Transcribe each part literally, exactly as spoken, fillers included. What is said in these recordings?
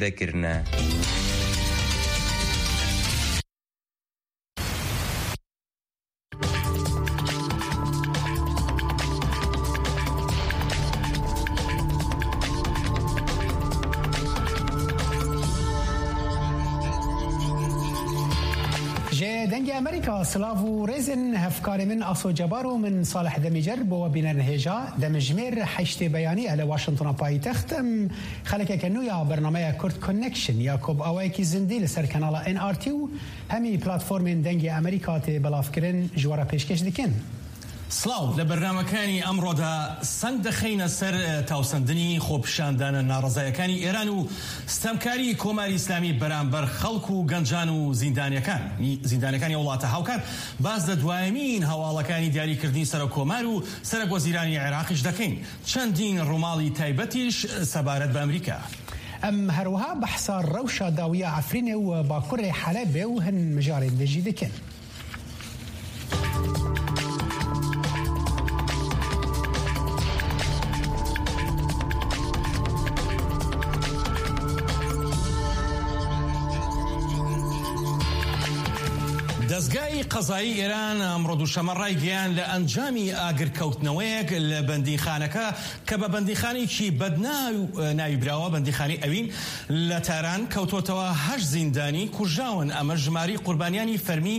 de kirine. Ji Dengê Amerîka silav û rêzên hevkarê min Aso Cebaro, min Salih Demîcer bo we bînerin hêja. Demjimêr heştê beyanî e li Washingtona payîtext. Em xelekeke nû ya bernameya Kurd Connection ya ku bi awayekî zindî li ser kanala N R T û hemî platformên Dengê Amerîka tê belavkirin ji we re pêşkêş dikin. سڵاو، لە بەرنامەکانی ئەمڕۆدا سەنگ دەخەینە سەر، ئە، تاوسەندنی خۆپیشاندانە ناڕەزایەکانی ئێران و ستەمکاری کۆماری ئیسلامی بەرامبەر خەڵک و گەنجان و زیندانیەکان، زیندانەکانی وڵاتە هاوکار. باز لە دوایەمین هەواڵەکانی دیاریکردنی سەرۆک کۆمار و سەرۆک وەزیرانی عێراقیش دەکەین. چەندین ڕووماڵی تایبەتیش سەبارەت بە ئەمریکا. ئەم هەروەها بەحسا ڕەوشە داویە عەفرینێ و باکوڕێ حەلەبێ و هەن مژارێ دژی دەکەن. دەستگای قەزایی ئێران ئەمڕۆ دووشەمە ڕایگەیان لە ئەنجامی ئاگرکەوتنەوەیەک لە بەندیخانەکە کە بە بەندیخانەیەکی بەدناو ناوی براوە، بەندیخانەی ئەوین، لە تاران کەوتۆتەوە، هەشت زیندانی کوژراون. ئەمە ژماری قوربانیانی فەرمی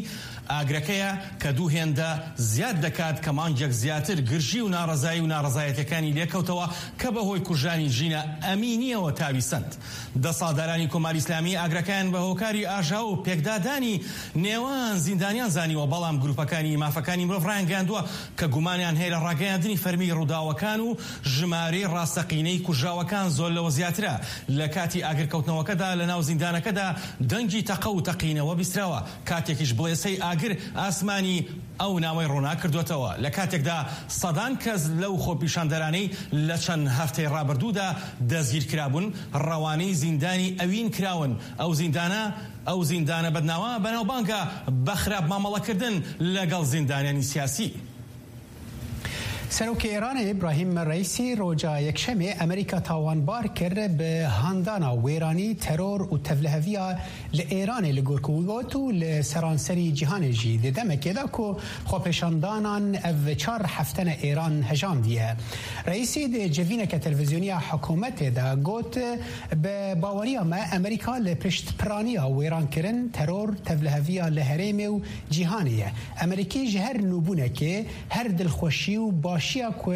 ئاگرەکەیە کە دوو هێندە زیاد دەکات کە مانگێک زیاتر گرژی و ناڕەزایی و ناڕەزایەتەکانی لێکەوتەوە کە بەهۆی کوژرانی ژینە ئەمینیەوە تاوی سەند. دەسەڵاتدارانی کۆماری ئیسلامی ئاگرەکەیان بە هۆکاری ئاژاو و پێکدادانی نێوان زیندانیان زانیوە، بەڵام گروپەکانی مافەکانی مرۆڤ ڕایانگەیاندووە کە گومانیان هەیە لە ڕاگەیاندنی فەرمی ڕووداوەکان و ژمارەی ڕاستەقینەی کوژراوەکان زۆر لەوە زیاترە. لە کاتی ئاگرکەوتنەوەکەدا لە ناو زیندانەکەدا دەنگی تەقە و تەقینەوە بیستراوە، کاتێکیش بڵێسەی ئاگر ئاسمانی ئەو ناوەی ڕوونا کردوتەوە، لە کاتێکدا سەدان کەس لەو خۆپیشاندەرانەی لە چەند هەفتەی ڕابردوودا دەستگیر کرابوون، ڕەوانەی زیندانی ئەوین کراون. ئەو زیندانە، ئەو زیندانە بەدناوە بەناوبانگە بە خراپ مامەڵەکردن لەگەڵ زیندانیانی سیاسی. سەرۆکی ئێرانê ئیبراهیم ڕەیسی ڕۆژا یەکشەمێ ئەمریکا تاوانبار کرد بە هاندانا wêranî, teror û tevliheviya li Îranê li gor ku got û li seranserî cîhanê jî di demekê de ku xwepêşandanan ev çar heftene Îran hejandiye. Reîsî di civîneke televîzyonî ya hikûmetê de got, bi baweriya me Amerîka li pişt piraniya wêrankirin, teror, tevliheviya li herêmê û cîhanê ye. Amerîkî ji her nûbûnekê, her dilxweşî û başiya ku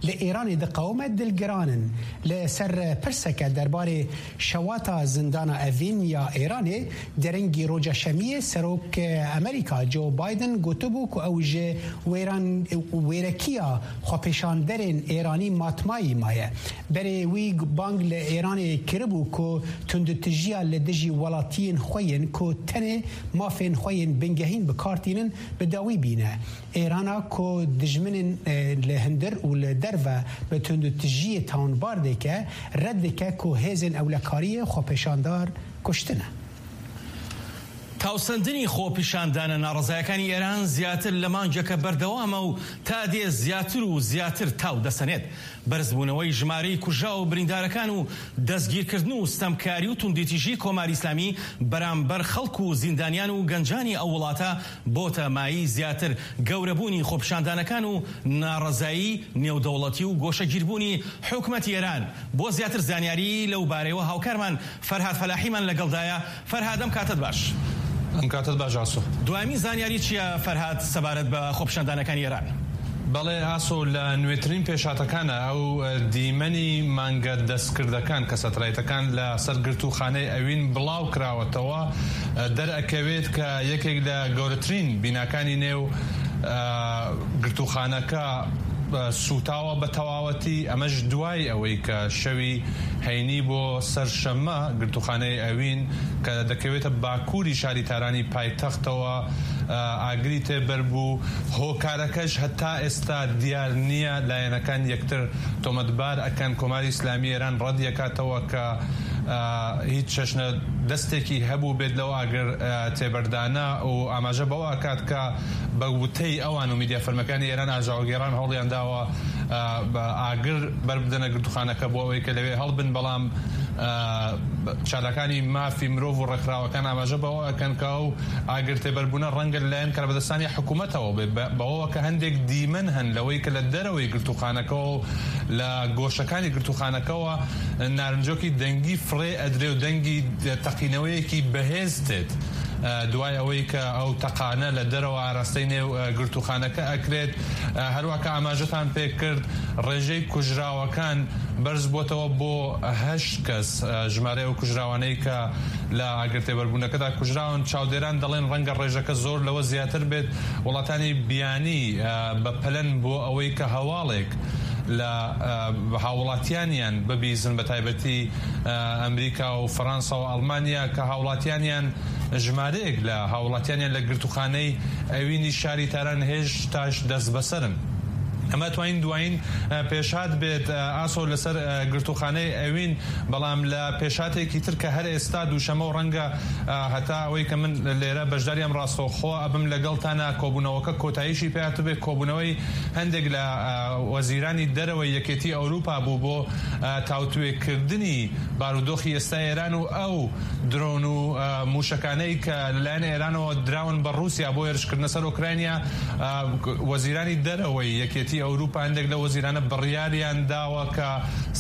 li Îranê diqewime dilgiran in. Li ser pirseke derbarê şewata zindana Evîn ya Îranê, derengî roja Şemiyê Serok Amerîka Joe Biden gotibû ku ew ji wêran-, wêrekiya xwepêşanderên Îranî matmayî maye. Berê wî bang li Îranê kiribû ku tundûtijiya li dijî welatiyên xwe yên ku tenê mafên xwe yên bingehîn bi kar tînin bi dawî bîne. Êrana ku dijminên, e, li hundir û li derve bi tundûtijiyê tawanbar dike, red dike ku hêzên ewlekariyê xwepêşandar kuştine. تاوسەندنی خۆپیشاندانە ناڕەزایەکانی ئێران زیاتر لە مانگێکە بەردەوامە و تا دێ زیاتر و زیاتر تاو دەسەنێت. بەرزبوونەوەی ژمارەی کوژراو و بریندارەکان و دەستگیرکردن و ستەمکاری و توندیتیژی کۆماری ئیسلامی بەرامبەر خەڵک و زیندانیان و گەنجانی ئەو وڵاتە بۆتە مایەی زیاتر گەورەبوونی خۆپیشاندانەکان و ناڕەزایی نێودەوڵەتی و گۆشەگیربوونی حکومەتی ئێران. بۆ زیاتر زانیاری لەو بارەیەوە هاوکارمان فەرهاد فەلاحیمان لەگەڵدایە. فەرهاد، ئەم کاتت باش. ئەم کاتت باش، ئاسۆ. دوایین زانیاری چییە، فەرهاد، سەبارەت بە خۆپیشاندانەکانی ئێران؟ بەڵێ، ئاسۆ، لە نوێترین پێشهاتەکانە ئەو، ئە، دیمەنی مانگە دەستکردەکان کە سەتەلایتەکان لە سەر گرتووخانەی ئەوین بڵاو کراوەتەوە، ئە، دەرئەکەوێت کە یەکێک لە گەورەترین بیناکانی نێو، ئە، گرتووخانەکە، ئە، سووتاوە بە تەواوەتی. ئەمەش دوای ئەوەی کە شەوی هەینی بۆ سەرشەممە گرتووخانەی ئەوین کە دەکەوێتە باکووری شاری تارانی پایتەختەوە، ئە، ئاگری تێبەر بوو. هۆکارەکەش هەتا ئێستا دیار نییە. لایەنەکان یەکتر تۆمەتبار ئەکەن. کۆماری ئیسلامی ئێران ڕەت یەکاتەوە کە، ئە، هیچ چەشنە دەستێکی هەبوو بێت لەو ئاگر، ئە، تێبەردانە و ئاماژە بەوە ئەکات کە بە وتەی ئەوان و میدیا فەرمیەکانی ئێران ئاژاوەگێڕان هەوڵیان داوە، ئە، بە ئاگر بەربدەنە گرتوخانەکە بۆ ئەوەی کە لەوێ هەڵبن، بەڵام، ئە، چالاکانی مافی مرۆڤ و ڕێکخراوەکان ئاماژە بەوە ئەکەن کە ئەو ئاگر تێبەربوونە ڕەنگە لەلایەن کاربەدەستانی حکوومەتەوە بێ، بە-، بەوەوە کە هەندێک دیمەن هەن لەوەی کە لە دەرەوەی گرتوخانەکەەوە و لە گۆشەکانی گرتوخانەکەەوە نارنجۆکی دەنگی فڕێ ئەدرێ و دەنگی تەقینەوەیەکی بەهێز دێت. ئە، دوای ئەوەی کە ئەو تەقانە لە دەرەوە ئاراستەی نێو، ئە، گرتوخانەکە ئەکرێت، ئە، هەروە کە ئاماژەتان پێ کرد، ڕێژەی کوژراوەکان بەرز بۆتەوە بۆ هەشت کەس. ئە، ژمارەی ئەو کوژراوانەی کە لە ئاگرتێبەربوونەکەدا کوژراون، چاودێران دەڵێن ڕەنگە ڕێژەکە زۆر لەوە زیاتر بێت. وڵاتانی بیانی، ئە، بە پەلەن بۆ ئەوەی کە هەواڵێک لە، ئە، هاوڵاتیانیان ببیزن، بە تایبەتی، ئە، ئەمریکا و فەڕەنسا و ئەڵمانیا کە هاوڵاتیانیان، ژمارەیەک لە هاوڵاتیانیان لە گرتوخانەی ئەوینی شاری تاران هێشتاش دەست بەسەرن. ئەمە توانین دوایین، ئە، پێشهات بێت، ئە، ئاسۆ لەسەر، ئە، گرتوخانەی ئەوین، بەڵام لە پێشهاتێکی تر کە هەر ئێستا دووشەمە و ڕەنگە، ئە، هەتا ئەوەی کە من لێرە بەشداری ئەم ڕاستەوخۆ ئەبم لەگەڵتانە، کۆبوونەوەکە کۆتاییشی پێهاتبێ، کۆبوونەوەی هەندێک لە، ئە، وەزیرانی دەرەوەی یەکێتی ئەوروپا بوو بۆ، ئە، تاوتوێکردنی بارودۆخی ئێستا ئێران و ئەو درۆن و، ئە، موشەکانەی کە لەلایەن ئێرانەوە دراون بە ڕووسیا بۆ هێرشکردنە سەر ئۆکراینیا. ئە، وەزیرانی دەرەوەی یەکێتی ئەوروپا، هەندێک لە وەزیرانە بڕیاریان داوە کە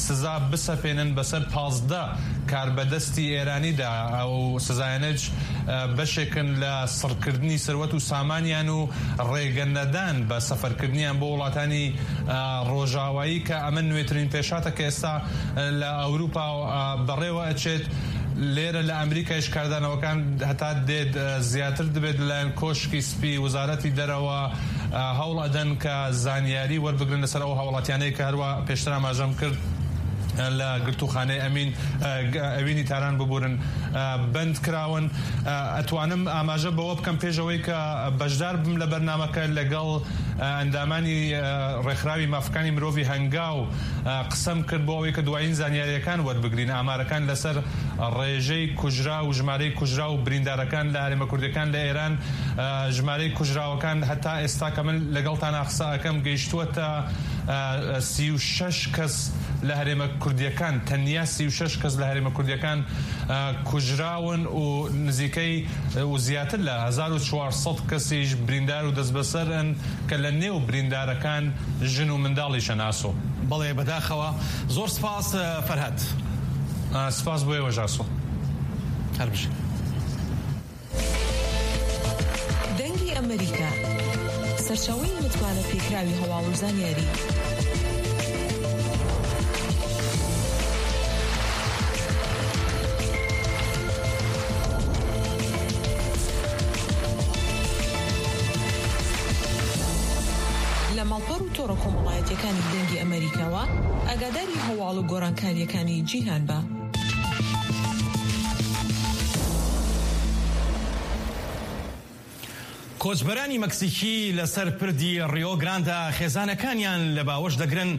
سزا بسەپێنن بەسەر پازدە کاربەدەستی ئێرانیدا. ئەو سزایانەش، ئە، بەشێکن لە سڕکردنی سەروەت و سامانیان و ڕێگە نەدان بە سەفەرکردنیان بۆ وڵاتانی، ئە، ڕۆژاوایی، کە ئەمە نوێترین پێشاتە کە ئێستا، ئە، لە ئەوروپا، ئە، بەڕێوە ئەچێت. لێرە لە ئەمریکایش کاردانەوەکان هەتا دێت، ئە، زیاتر دەبێت لەلایەن کۆشکی سپی، وزارەتی دەرەوە، ئە، هەوڵ ئەدەن کە زانیاری وەربگرن لەسەر ئەو هاوڵاتیانەی کە هەروە پێشتر ئاماژەم کرد، ئە، لە گرتوخانەی ئەمین، ئە، گ-، ئەوینی تاران ببورن، ئە، بەند کراون. ئە، ئەتوانم ئاماژە بەوە بکەم، پێش ئەوەی کە بەشدار بم لە بەرنامەکە، لەگەڵ، ئە، ئەندامانی، ئە، ڕێکخراوی مافەکانی مرۆڤی هەنگاو، ئە، قسەم کرد بۆ ئەوەی کە دوایین زانیاریەکان وەربگرین، ئامارەکان لەسەر ڕێژەی کوژرا و ژمارەی کوژرا و بریندارەکان لە هەرێمە کوردیەکان لە ئێران، ئە، ژمارەی کوژراوەکان هەتا ئێستا کە من لەگەڵتان قسە ئەکەم گەیشتووەتە، ئە، سی و شەش کەس لە هەرێمە کوردیەکان، تەنیا سی و شەش کەس لە هەرێمە کوردیەکان، ئە، کوژراون و نزیکەی، ئە، و زیاتر لە هەزار و چوار سەد کەسیش بریندار و دەستبەسەرن کە لە نێو بریندارەکان ژن و منداڵیشە ناسۆ. بەڵێ، بەداخەوە. زۆر سپاس، ئە، فەرهاد. ئە، سپاس بۆ ئێوەش ئاسۆ. هەر بژین. دەنگی ئەمریکا، سەرچاوەی متمانە پێکراوی هەواڵ و زانیاری. لە ماڵپەڕ و تۆڕە کۆمەڵایەتیەکانی دەنگی ئەمریکاوە ئاگاداری هەواڵ و گۆڕانکاریەکانی جیهان بە. کۆچبەرانی مەکسیکی لەسەر پردی ڕیۆ گراندە خێزانەکانیان لە باوەش دەگرن،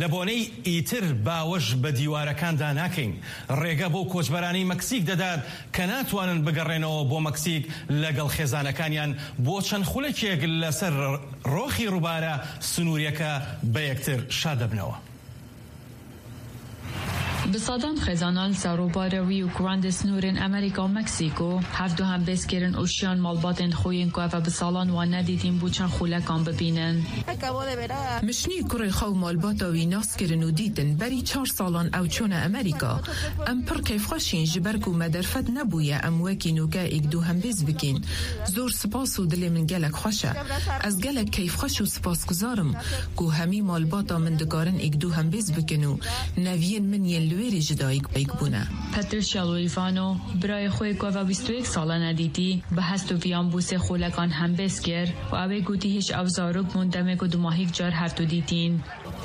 لە بۆنەی ئیتر باوەش بە دیوارەکاندا ناکەین. ڕێگە بۆ کۆچبەرانی مەکسیک دەدات کە ناتوانن بگەڕێنەوە بۆ مەکسیک لەگەڵ خێزانەکانیان، بۆ چەند خولەکێک لەسەر ڕۆخی ڕووبارە سنووریەکە بە یەکتر شاد دەبنەوە. Bi sedan xêzana li ser rûbarê wî û kurandê sînorên Amerîka û Meksîko hevdu hembêz kirin û şiyan malbatên xwe yên ku ev e bi salan wan nedîtîn bû çend xûlekan bibînin. Min şinî kurê xwe û malbata wî nas kirin û dîtin. Berî çar salan ew çûne Amerîka. Em pir keyfxweş în, ji ber ku me derfet nebûye em wekî nûke êk du hembêz bikîn. Zor spas û dilê min gelek xweş e. Ez gelek keyfxweş û spasguzar im ku hemî malbata min dikarin êk du hembêz bikin û neviyên min yên li wêrê ji dayik bûne. Patricia Luivano, birayê xwe yê ku ev e bîst û yek sal e nedîtî, bi hest û viyan bû sê xûlekan hembêz kir û ew ê gotî hêj ew zarok bûn demê ku dumahîk car hevdû dîtîn.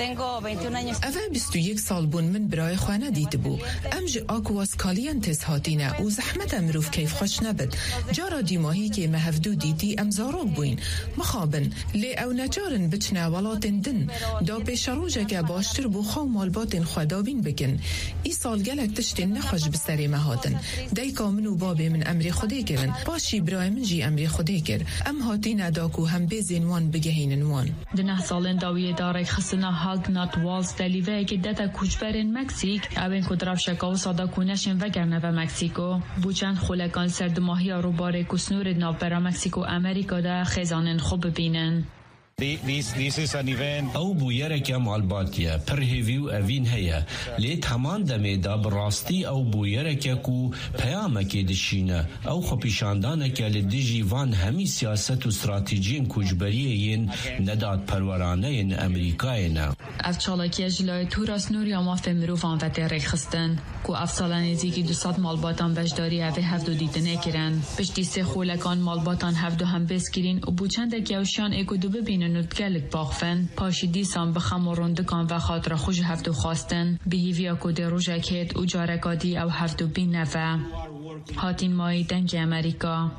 Tengo veintiún años. Ev e bîst û yek sal bûn min birayê xwe nedîtibû. Em ji Aquas Calientes hatîne û zehmet e mirov keyfxweş nebit. Cara dîmahîkê me hevdû dîtî, em zarok bûyn. Mixabin, lê ew neçar in biçine welatên din. Da pêşerojeke baştir bo xwe û malbatên xwe dabîn bikin. Îsal gelek tiştên nexweş bi serê me hatin. Dayika min û babê min emrê Xwedê kirin. Paşî birayê min jî emrê Xwedê kir. Em hatîne da ku hembêzên wan bigehînin wan. Di neh salên dawiyê de rêkxistina Haldnat Walls de lîveyekê dete koçberên Meksîk, ewên ku di rewşeke wisa de ku neşên vegerine ve Meksîko. Bû çend xolekan li ser dimahiya rûbarê ku snorê di navbera Meksîk û Amerîka de xêzanên xwe bibînin. This, this is an event. Ew bûyereke malbatî ye, pir hêvî û evîn heye. Lê di heman demê de bi rastî ew bûyereke ku peyamekê dişîne. Ew xwepîşandaneke li dijî van hemî siyaset û stratejiyên koçberiyê yên nedadperwerane yên Amerîkayê ne. Ev çalakiye ji layê Tora Snorî ya Mafên Mirovan ve tê rêkxistin, ku ev sala nêzîkî du sed malbatan beşdarî evê hevdu dîtinê kirin. Piştî sê xolekan malbatan hevdu hembêz kirîn û bû çendek yewşiyan ê ku dû bibînin û bi gelek baxivin. Paşî dîsan bi xem û rindikan ve xatira xwe ji hevdu xwestin, bi hîviya ku dê rojek hêt û careka dî ew hevdu bîne ve. Hatîn Mayî, Dengê Amerîka.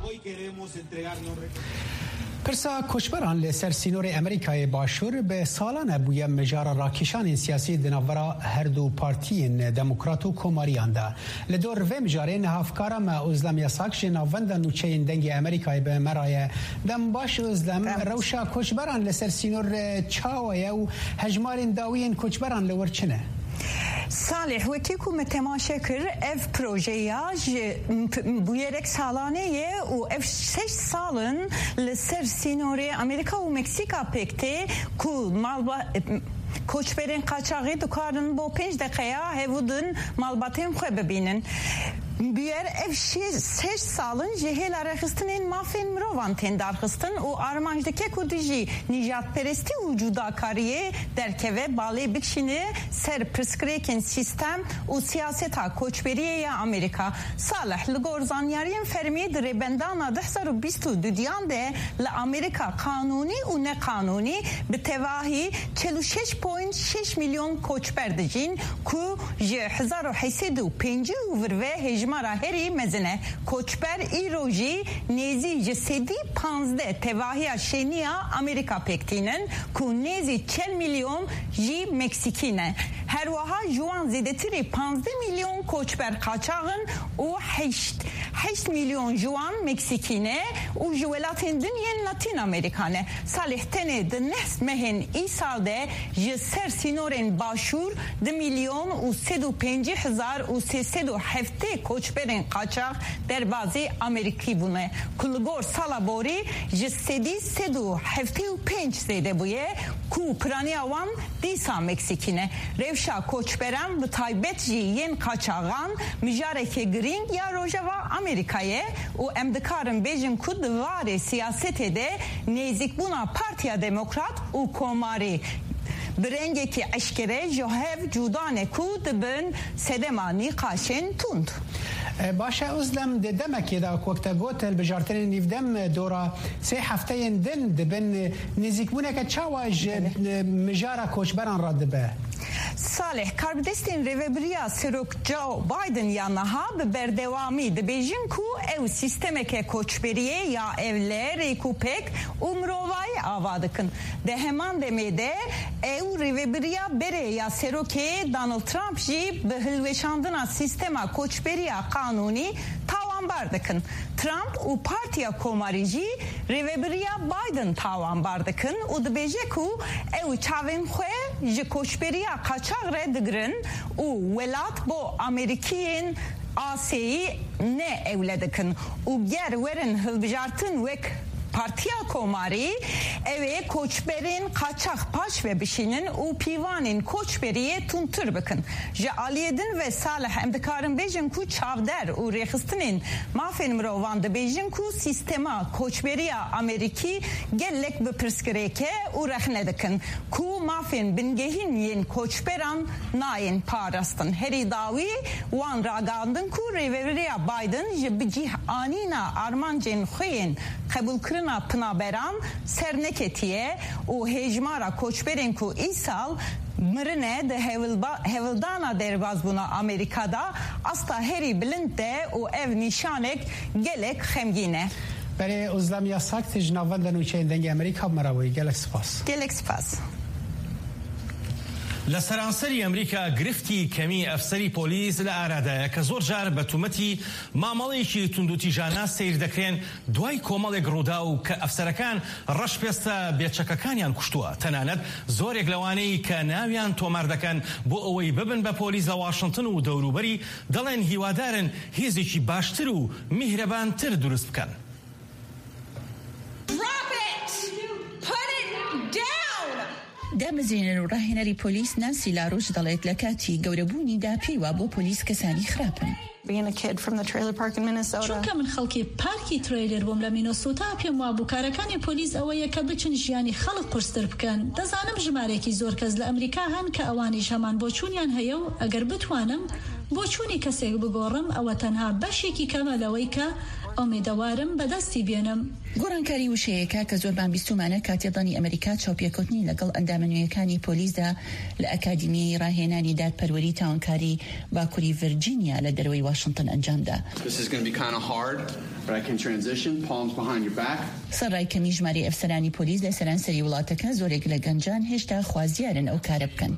Pirsa koçberan li ser sînorê Amerîkayê Başûr bi salan e bûye mijara rakîşanên siyasî di navbera her du partiyên demokrat û komariyan de. Li dor vê mijarê niha hevkara me Ozlem Yasak ji navenda nûçeyên Dengê Amerîkayê bi me re ye. Dem baş Ozlem, Dem. Rewşa koçberan li ser sînor, e, çawa ye û hejmarên dawiyên koçberan li wir çi ne? Salih, wekî ku me temaşe kir, ev projeya ji m-, p-, bûyerek salanê ye û ev şeş sal in li ser sînorê Amerîka û Meksîka pêk tê ku malba-, koçberên qaçaxî dikarin bo pênc deqeya hevû din malbatên xwe bibînin. Bûyer ev şi-, şeş sal in ji hêla rêxistinên mafên mirovan tên darxistin û armanc dike ku dijî nîjadperestî û cudakariyê derkeve, balê bikişîne ser pirsgirêkên sîstem û siyaseta koçberiyê ya Amerîka. Salih, li gor zanyariyên fermî, di rêbendana du hezar û bîst û duyan de li Amerîka qanûnî û neqanûnî bi tevahî çil û şeş point şeş milyon koçber dijîn, ku ji hezar û heşt sed û pêncî û vir ve hejmara herî mezin e. Koçber îro jî nêzî ji sedî panzdeh tevahiya şêniya Amerîka pêk tînin, ku nêzî çil milyon jî Meksîkî ne. Her wiha ji wan zêdetirî panzdeh milyon koçber qaçax in û heşt, heşt milyon ji wan Meksîkî ne û ji welatên din yên Latîn Amerîka ne. Salih, tenê di neh mehên îsal de ji ser sînorên Başûr du milyon û sed û pêncî hezar û sê sed û heftê koçberên qaçax derbazî Amerîkî bûne, ku li gor sala borî ji sedî sed û heftê û pênc zêde bûye, ku piraniya wan dîsa Meksîkî ne. Rewşa koçberan, bi taybet jî yên qaçaxan, mijareke girîng ya Rojava Amerîka ye û em dikarin bêjin ku di warê siyasetê de nêzîkbûna Partiya Demokrat û Komarî bi rengekî eşkere ji hev cuda ne ku dibin sedema nîqaşên tund. E, baş e, Ozlem, di demekê de, wek te got, hilbijartinên nîvdem dora sê hefteyên din dibin, nêzîkbûneke çawa ji, Belê. e, mijara koçberan re dibe? Salih, karbidestên rêvebiriya Serok Joe Biden ya niha bi berdewamî dibêjin ku ew sîstemeke koçberiyê ya ewle rêkûpêk û mirovayî ava dikin. Di heman demê de ew rêvebiriya berê ya Serokê Donald Trump jî bi hilweşandina sîstema koçberiya qanûnî tawanbar dikin. Trump û Partiya Komarî jî rêvebiriya Biden tawanbar dikin û dibêje ku ew çavên xwe ji koçberiya qaçax re digirin û welat bo Amerîkiyên asayî ne ewle dikin û ger werin hilbijartin wek Partiya Komarî, ew ê koçberên qaçax paş ve bişînin û pîvanên koçberiyê tundtir bikin. Ji aliyê din ve Salih, em dikarin bêjin ku çavdar û rêxistinên mafên mirovan dibêjin ku sîstema koçberiya Amerîkî gelek bi pirsgirêk e û rexne dikin ku mafên bingehîn yên koçberan nayên parastin. Herî dawî wan ragandin ku rêveberiya Biden ji bicîh anîna armancên xwe yên qebûlkirina pinaberan serneketiye û hêjmara koçberên ku îsal Mirine di hewilba-, hewildana derbazbûna Amerîka de asta herî bilind e û ev nîşanek gelek xemgîn e. Berê Ozlem Yasak, tu ji navenda nûçeyên Dengê Amerîka bi me re bûyî. Gelek spas. Gelek spas. لە سەرانسەری ئەمریکا گرفتی کەمی ئەفسەری پۆلیس لە ئارادایە کە زۆر جار بە تومەتی مامەڵەیەکی توندوتیژانە سیر دەکرێن دوای کۆمەڵێک ڕووداو کە ئەفسەرەکان ڕەشپێستە بێچەکەکانیان کوشتووە، تەنانەت زۆرێک لەوانەی کە ناویان تۆمار دەکەن بۆ ئەوەی ببن بە پۆلیس لە واشنگتن و دەوروبەری، دەڵێن هیوادارن هێزێکی باشتر و میهرەبانتر دروست بکەن. Drop it! Put it down! دامەزرێنەر و ڕاهێنەری پۆلیس نانسی لاروش دەڵێت لە کاتی گەورەبوونیدا پێی وا بۆ پۆلیس کەسانی خراپن. Being a kid from the trailer park in Minnesota. چونکە من خەڵکی پارکی ترەیلر بووم لە مینۆسۆتا، پێم وابوو کارەکانی پۆلیس ئەوەیە کە بچن ژیانی خەڵک قورستر بکەن. دەزانم ژمارەیەکی زۆر کەس لە ئەمریکا هەن کە ئەوانیش هەمان بۆچوونیان هەیە و ئەگەر بتوانم بۆچوونی کەسێک بگۆڕم، ئەوە تەنها بەشێکی کەمە لەوەی کە ئومێدەوارم بەدەستی بێنم. گۆڕانکاری وشەیەکە کە زۆربان بیستومانە کاتێ دانی ئەمریکا چاوپێکەوتنی لەگەڵ ئەندامە نوێیەکانی پۆلیسدا لە ئەکادیمیی ڕاهێنانی دادپەروەری تاوانکاری باکووری ڤرجینیا لە دەروەی واشنگتن ئەنجامدا. This is gonna be kinda hard, but I can transition. Palms behind your back. سەرڕای کەمی ژمارەی ئەفسەرانی پۆلیس لە سەرانسەری وڵاتەکە، زۆرێک لە گەنجان هێشتا خوازیارن ئەو کارە بکەن.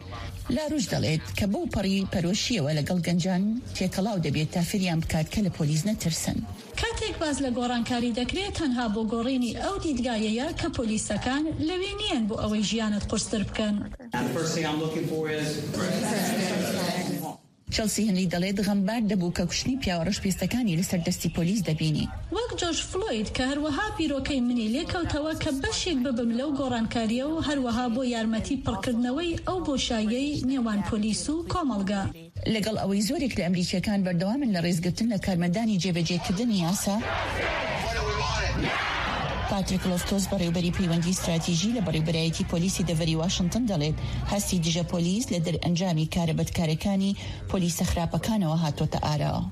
لاروش دەڵێت کە بەو پەڕی پەرۆشیەوە لەگەڵ گەنجان تێکەڵاو دەبێت تا فریان بکات کە لە پۆلیس نەترسن. کاتێک باس لە گۆڕانکاری دەکرێت، تەنها بۆ گۆڕینی ئەو دیدگایەیە کە پۆلیسەکان لەوێ نیەن بۆ ئەوەی ژیانت قورستر بکەن. And the first thing I'm looking for is چێلسی هنری دەڵێت غەمبار دەبوو کە کوشتنی پیاوە ڕەشپێستەکانی لەسەر دەستی پۆلیس دەبینی. وەک جۆرج فلۆید کە هەروەها بیرۆکەی منی لێکەوتەوە کە بەشێک ببم لەو گۆڕانکاریە و هەروەها بۆ یارمەتی پڕکردنەوەی ئەو بۆشاییەی نێوان پۆلیس و کۆمەڵگە. لەگەڵ ئەوەی زۆرێک لە ئەمریکیەکان بەردەوامن لە ڕێزگرتن لە کارمەندانی جێبەجێکردنی یاسا، پاتریک لۆفتۆس، بەڕێوبەری پەیوەندی استراتیژی لە بەڕێوبەرایەتی پۆلیسی دەڤەری واشنگتن، دەڵێت هەستی دژە پۆلیس لە دەرئەنجامی کارە بەدکارەکانی پۆلیسە خراپەکانەوە هاتۆتە ئاراوە.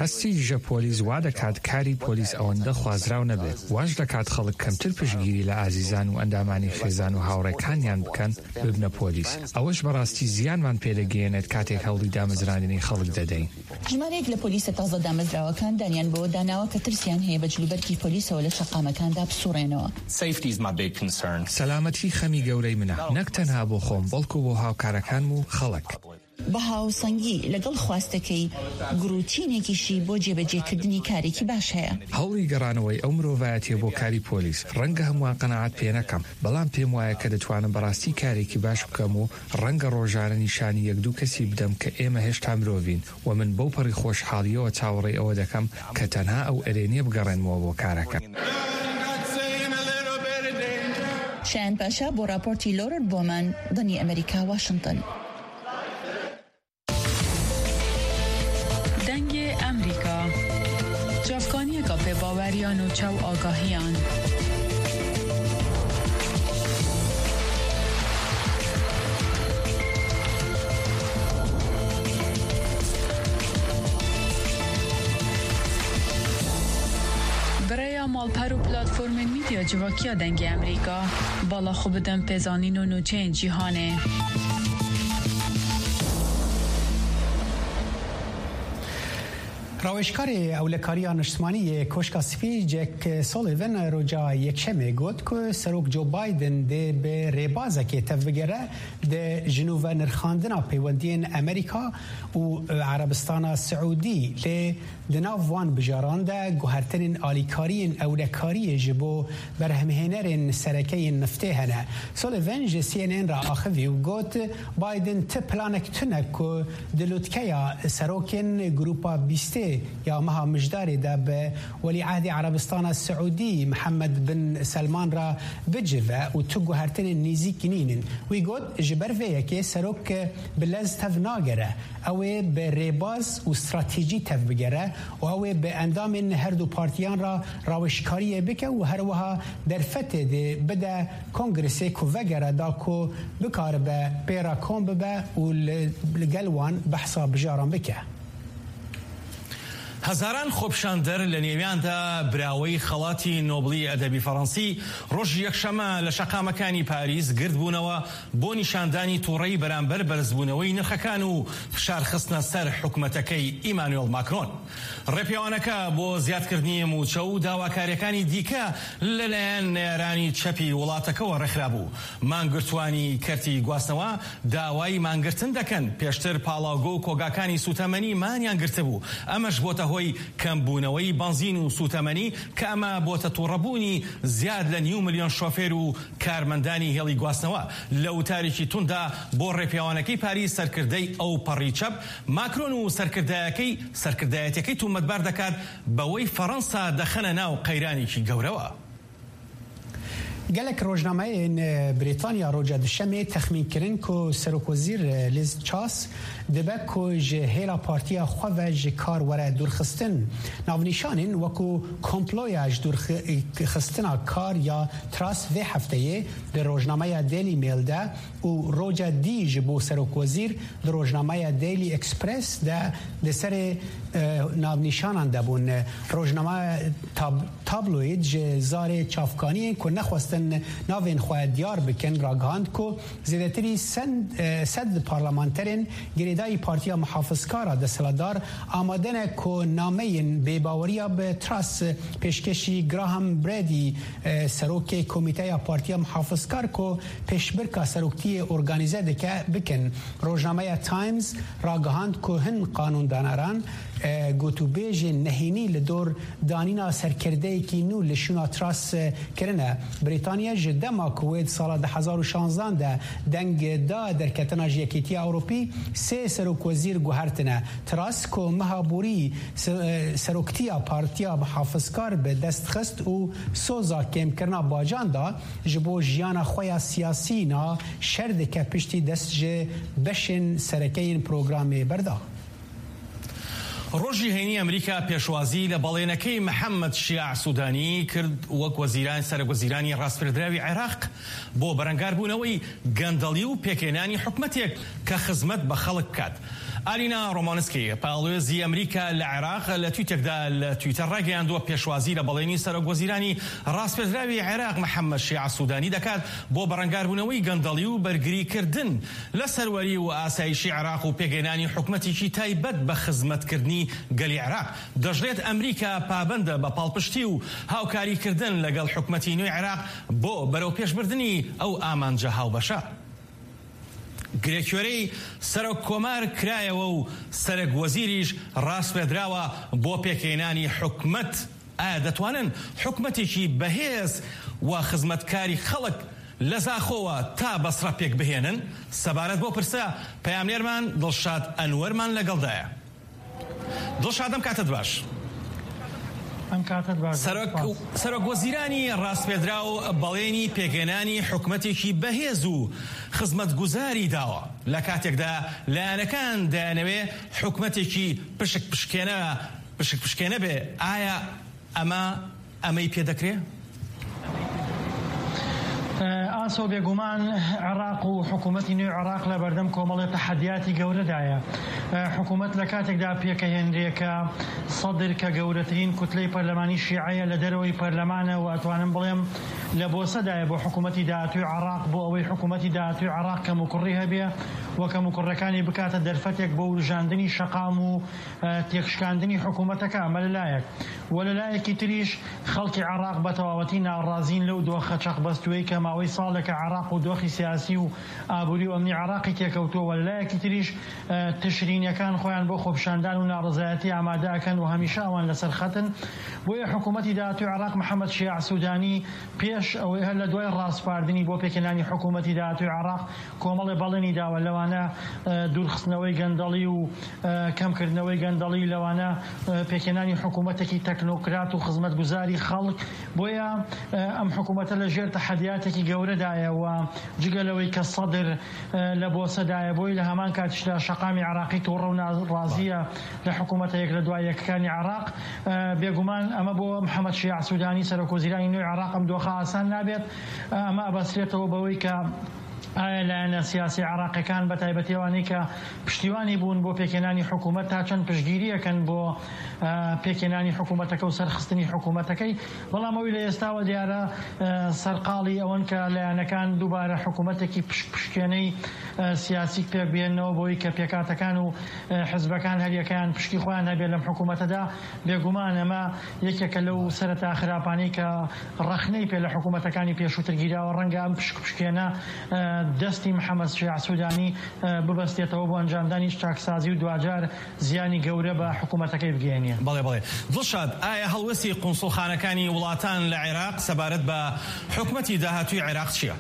هەستی دژە پۆلیس وا دەکات کاری پۆلیس ئەوەندە خوازراو نەبێت، واش دەکات خەڵک کەمتر پشتگیری لە ئازیزان و ئەندامانی خێزان و هاوڕێکانیان بکەن ببنە پۆلیس. ئەوەش بەڕاستی زیانمان پێدەگەیەنێت کاتێک هەوڵی دامەزراندنی خەڵک دەدەین. ژمارەیەک لە پۆلیسە تازە دامەزراوەکان دانیان بەوە داناوە کە ترسیان هەیە بە جلوبەرگی پۆلیسەوە لە شەقامەکاندا بسوڕێنەوە. Safety is my big concern. سەلامەتی خەمی گەورەی منە، نەک تەنها بۆ خۆم، بەڵکو بۆ هاوکارەکانم و خەڵک. بەها و سەنگی لەگەڵ خواستەکەی گروتینێکیشی بۆ جێبەجێکردنی کارێکی باش هەیە. هەوڵی گەڕانەوەی ئەو مرۆڤایەتیە بۆ کاری پۆلیس، ڕەنگە هەمووان قەناعەت پێ نەکەم، بەڵام پێم وایە کە دەتوانم بەڕاستی کارێکی باش بکەم و ڕەنگە ڕۆژانە نیشانی یەک دوو کەسی بدەم کە ئێمە هێشتا مرۆڤین، و من بەو پەڕی خۆشحاڵیەوە چاوەڕێی ئەوە دەکەم کە تەنها ئەو ئەرێنیە بگەڕێنمەوە بۆ کارەکە. شایان پاشا بۆ راپۆرتی لۆرد بۆمان، دەنگی ئەمریکا، واشنگتن. دەنگی ئەمریکا، جافکانیەکە پێ باوەریان و چاو ئاگاهیان. Birêya malper û platformên medya civakiya Dengê Emerîka, bala xwe bidin pêzanîn û nûçeyên cîhanê. Rawêjkarê Ewlekariya Niştimanî yê Koşka Spî Jack Sullivan roja Yekşemê got ku Serok Joe Biden dê bi rêbazekê tevbigere di ji nû ve nirxandina peywendiyên Amerîka û Erebistana Siûdî, lê di nav wan bijaran de guhertinên alîkariyên ewlekariyê ji bo berhemhênerên sereke yên niftê hene. Sullivan ji C N N re axivî û got, Biden ti planek tune ku di lûtkeya serokên Grupa Bîstê ya meha Mijdarê de bi Welîehdê Erebistana Siûdî Mihemed bin Selman re bicive û tu guhertinên nêzîk nînin. Wî got, ji ber vê yekê serok bi lez tev nagere. Ew ê bi rêbaz û stratejî tev bigere û ew ê bi endamên her du partiyan re rawêjkariyê bike û her wiha derfetê dê bide Kongresê ku vegere da ku bikaribe pê re kom bibe û li, li gel wan behsa bijaran bike. هەزاران خۆپیشاندەر، لە نێویاندا براوەی خەڵاتی نۆبڵی ئەدەبی فەڕەنسی، ڕۆژی یەکشەممە لە شەقامەکانی پاریس گردبوونەوە بۆ نیشاندانی تووڕەی بەرامبەر بەرزبوونەوەی نرخەکان و فشارخستنە سەر حکومەتەکەی ئیمانوێل ماکرۆن. ڕێپێوانەکە بۆ زیادکردنی موچە و داواکاریەکانی دیکە لەلایەن نەیارانی چەپی وڵاتەکەوە ڕێکخرابوو. مانگرتوانی کەرتی گواستنەوە داوای مانگرتن دەکەن. پێشتر پاڵاوگۆ و کۆگاکانی سوتەمەنی مانیان گرتبوو. ئەمەش بۆتە هۆی کەمبوونەوەی بەنزین و سوتەمەنی، کە ئەمە بۆتە تووڕەبوونی زیاد لە نیو ملیۆن شۆفێر و کارمەندانی هێڵی گواستنەوە. لە وتارێکی توندا بۆ ڕێپێوانەکەی پاریس، سەرکردەی ئەو پەڕی چەپ، ماکرۆن و سەرکردایەکەی، سەرکردایەتەکەی تومەتبار دەکات بەوەی فەڕەنسا دەخەنە ناو قەیرانێکی گەورەوە. Gelek rojnameyên Brîtanya roja Duşemê texmîn kirin ku Serokwezîr Liz Truss dibe ku ji hêla partiya xwe ve ji kar were dûrxistin. Navnîşanên wekû komploya ji dûrxistina kar ya Truss vê hefteyê di rojnameya Daily Mail de û roja dî ji bo serokwezîr di rojnameya Daily Express de li serê, e, navnîşanan de bûn. Rojnameya tab-, tabloîd ji zarê çavkaniyên ku nexwestin navên xwe diyar bikin ragihand ku zêdetirî sen-, e, sed parlamenterên girêdayî Partiya Muhafizkar a desthilatdar amade ne ku nameyên bêbaweriya bi Truss pêşkêşî Graham Brady, e, serokê komîteya Partiya Muhafizkar ku pêşbirka seroktiyê organîze dike, bikin. Rojnameya Times ragihand ku hin qanûndanaran, e, gotûbêjên nehênî li dor danîna serkirdeyekî nû li şûna Truss, e, kirine. Brîtanya ji dema ku wê di sala du hezar û şanzdan de deng da derketina ji Yekîtiya Ewropî, sê serokwezîr guhertine. Truss ku meha borî se-, e, seroktiya Partiya Muhafizkar bi dest xist û soza kêmkirina bacan da, ji bo jiyana xwe ya siyasî na şer dike piştî dest ji beşên sereke yên programê berda. ڕۆژی هەینی ئەمریکا پێشوازی لە بەڵێنەکەی محەممەد شیاع سوودانی کرد وەک وەزیران، سەرۆکوەزیرانی ڕاستپێردراوی عێراق بۆ بەرەنگاربوونەوەی گەندەڵی و پێکهێنانی حکومەتێک کە خزمەت بە خەڵک بکات. ئالینا ڕۆمانسکی، پاڵێزی ئەمریکا لە عێراق، لە تویتێکدا لە تویتەر ڕاگەیاندووە پێشوازی لە بەڵێنی سەرۆک وەزیرانی ڕاستپێدراوی عێراق محەممەد شیاع سوودانی دەکات بۆ بەڕەنگاربوونەوەی گەندەڵی و بەرگریکردن لە سەروەری و ئاسایشی عێراق و پێکهێنانی حکومەتێکی تایبەت بە خزمەتکردنی گەلی عێراق. دەژڵێت ئەمریکا پابەندە بە پاڵپشتی و هاوکاریکردن لەگەڵ حکومەتی نوێی عێراق بۆ بەرەو پێشبردنی ئەو ئامانجە هاوبەشە. گرێکوێرەی سەرۆک کۆمار کرایەوە و سەرۆک وەزیریش ڕاستپێدراوە بۆ پێکهێنانی حکومەت. ئایا دەتوانن حکومەتێکی بەهێز و خزمەتکاری خەڵک لە زاخۆوە تا بەسڕە پێک بهێنن؟ سەبارەت بۆ پرسە پەیامنێرمان دڵشاد ئەنوەرمان لەگەڵدایە. دڵشاد، ئەم کاتت باش. ئەم کاتت باش. سەرۆک، سپاس. سەرۆک وەزیرانی ڕاستپێدراو بەڵێنی پێکهێنانی حکومەتێکی بەهێز و خزمەتگوزاری داوە، لە کاتێکدا لایەنەکان دەیانەوێ حکومەتێکی پشک پشکێنە، پشک پشکێنە بێ. ئایا ئەمە، ئەمەی پێ دەکرێ؟ ئاسۆ، بێگومان عێراق و حکوومەتی نوێ عێراق لە بەردەم کۆمەڵی تەحەدیاتی گەورەدایە. حکوومەت لە کاتێکدا پێکەهێنرێ کە سەدر، کە گەورەترین کوتلەی پەرلەمانی شیعەیە لە دەرەوەی پەرلەمانە، و ئەتوانم بڵێم لە بۆسەدایە بۆ حکوومەتی داهاتووی عێراق، بۆ ئەوەی حکوومەتی داهاتووی عێراق کەموکوڕی هەبێ و کەموکوڕەکانی بکاتە دەرفەتێک بۆ وروژاندنی شەقام و، ئە، تێکشکاندنی حکوومەتەکە. ئەمە لە لایەک. و لە لایەکی تریش خەڵکی عێراق بە تەواوەتی ناڕازین لەو دۆخە چەقبەستووەی کە ماوەی ساڵێکە عێراق و دۆخی سیاسی و ئابووری و ئەمنی عێراقی تێکەوتووە. و لە لایەکی تریش، ئە، تشرینیەکان خۆیان بۆ خۆپیشاندان و ناڕەزایەتی ئامادە ئەکەن و هەمیشە ئەوان لەسەر خەتن. بۆیە حکوومەتی داهاتووی عێراق، محەممەد شیاع سوودانی، پێش ئەوەی، هەر لە دوای ڕاسپاردنی بۆ پێکهێنانی حکوومەتی داهاتووی عێراق، کۆمەڵێ بەڵێنی داوە، لەوانە، ئە، دوورخستنەوەی گەندەڵی و، ئە، کەمکردنەوەی گەندەڵی، لەوانە، ئە، پێکهێنانی حکوومەتێکی تەکنۆکرات و خزمەتگوزاری خەڵک. بۆیە، ئە، ئەم حکوومەتە لە ژێر تەحەدیاتێکی گەورەدایە و جگە لەوەی کە سەدر، ئە، لە بۆسەدایە، بۆی لە هەمان کاتیشدا شەقامی عێراقی تووڕە و ناڕازیە لە حکوومەتە یەک لە دوای یەکەکانی عێراق. ئە، بێگومان ئەمە بۆ محەممەد شیاع سوودانی، سەرۆک وەزیرانی نوێی عێراق، ئەم دۆخە ئاسان نابێت. ئە، ئەمە ئەبەسترێتەوە بەوەی کە ئایا لایەنە سیاسی عێراقیەکان، بە تایبەتی ئەوانەی کە پشتیوانی بوون بۆ پێکهێنانی حکوومەت، تا چەند پشتگیریەکەن بۆ، ئە، پێکهێنانی حکوومەتەکە و سەرخستنی حکوومەتەکەی؟ بەڵام ئەوەی لە ئێستاوە دیارە، ئە، سەرقاڵی ئەوەن کە لایەنەکان دووبارە حکوومەتێکی پشک پشکێنەی، ئە، سیاسی پێک بێننەوە، بۆی کە پێکاتەکان و، ئە، حزبەکان هەریەکەیان پشکی خۆیان هەبێت لەم حکوومەتەدا. بێگومان ئەمە یەکێکە لەو سەرەتا خراپانەی کە ڕەخنەی پێ لە حکوومەتەکانی پێشووتر گیراوە. ڕەنگە ئەم پشک پشکێنە، ئە، دەستی محەممەد شیاع سوودانی، ئە، ببەستێتەوە بۆ ئەنجامدانی چاکسازی و دواجار زیانی گەورە بە حکوومەتەکەی بگەێنێ. بەڵێ، بەڵێ. دڵشاد، ئایا هەڵوێستی قونسوڵخانەکانی وڵاتان لە عێراق سەبارەت بە حکوومەتی داهاتووی عێراق چییە؟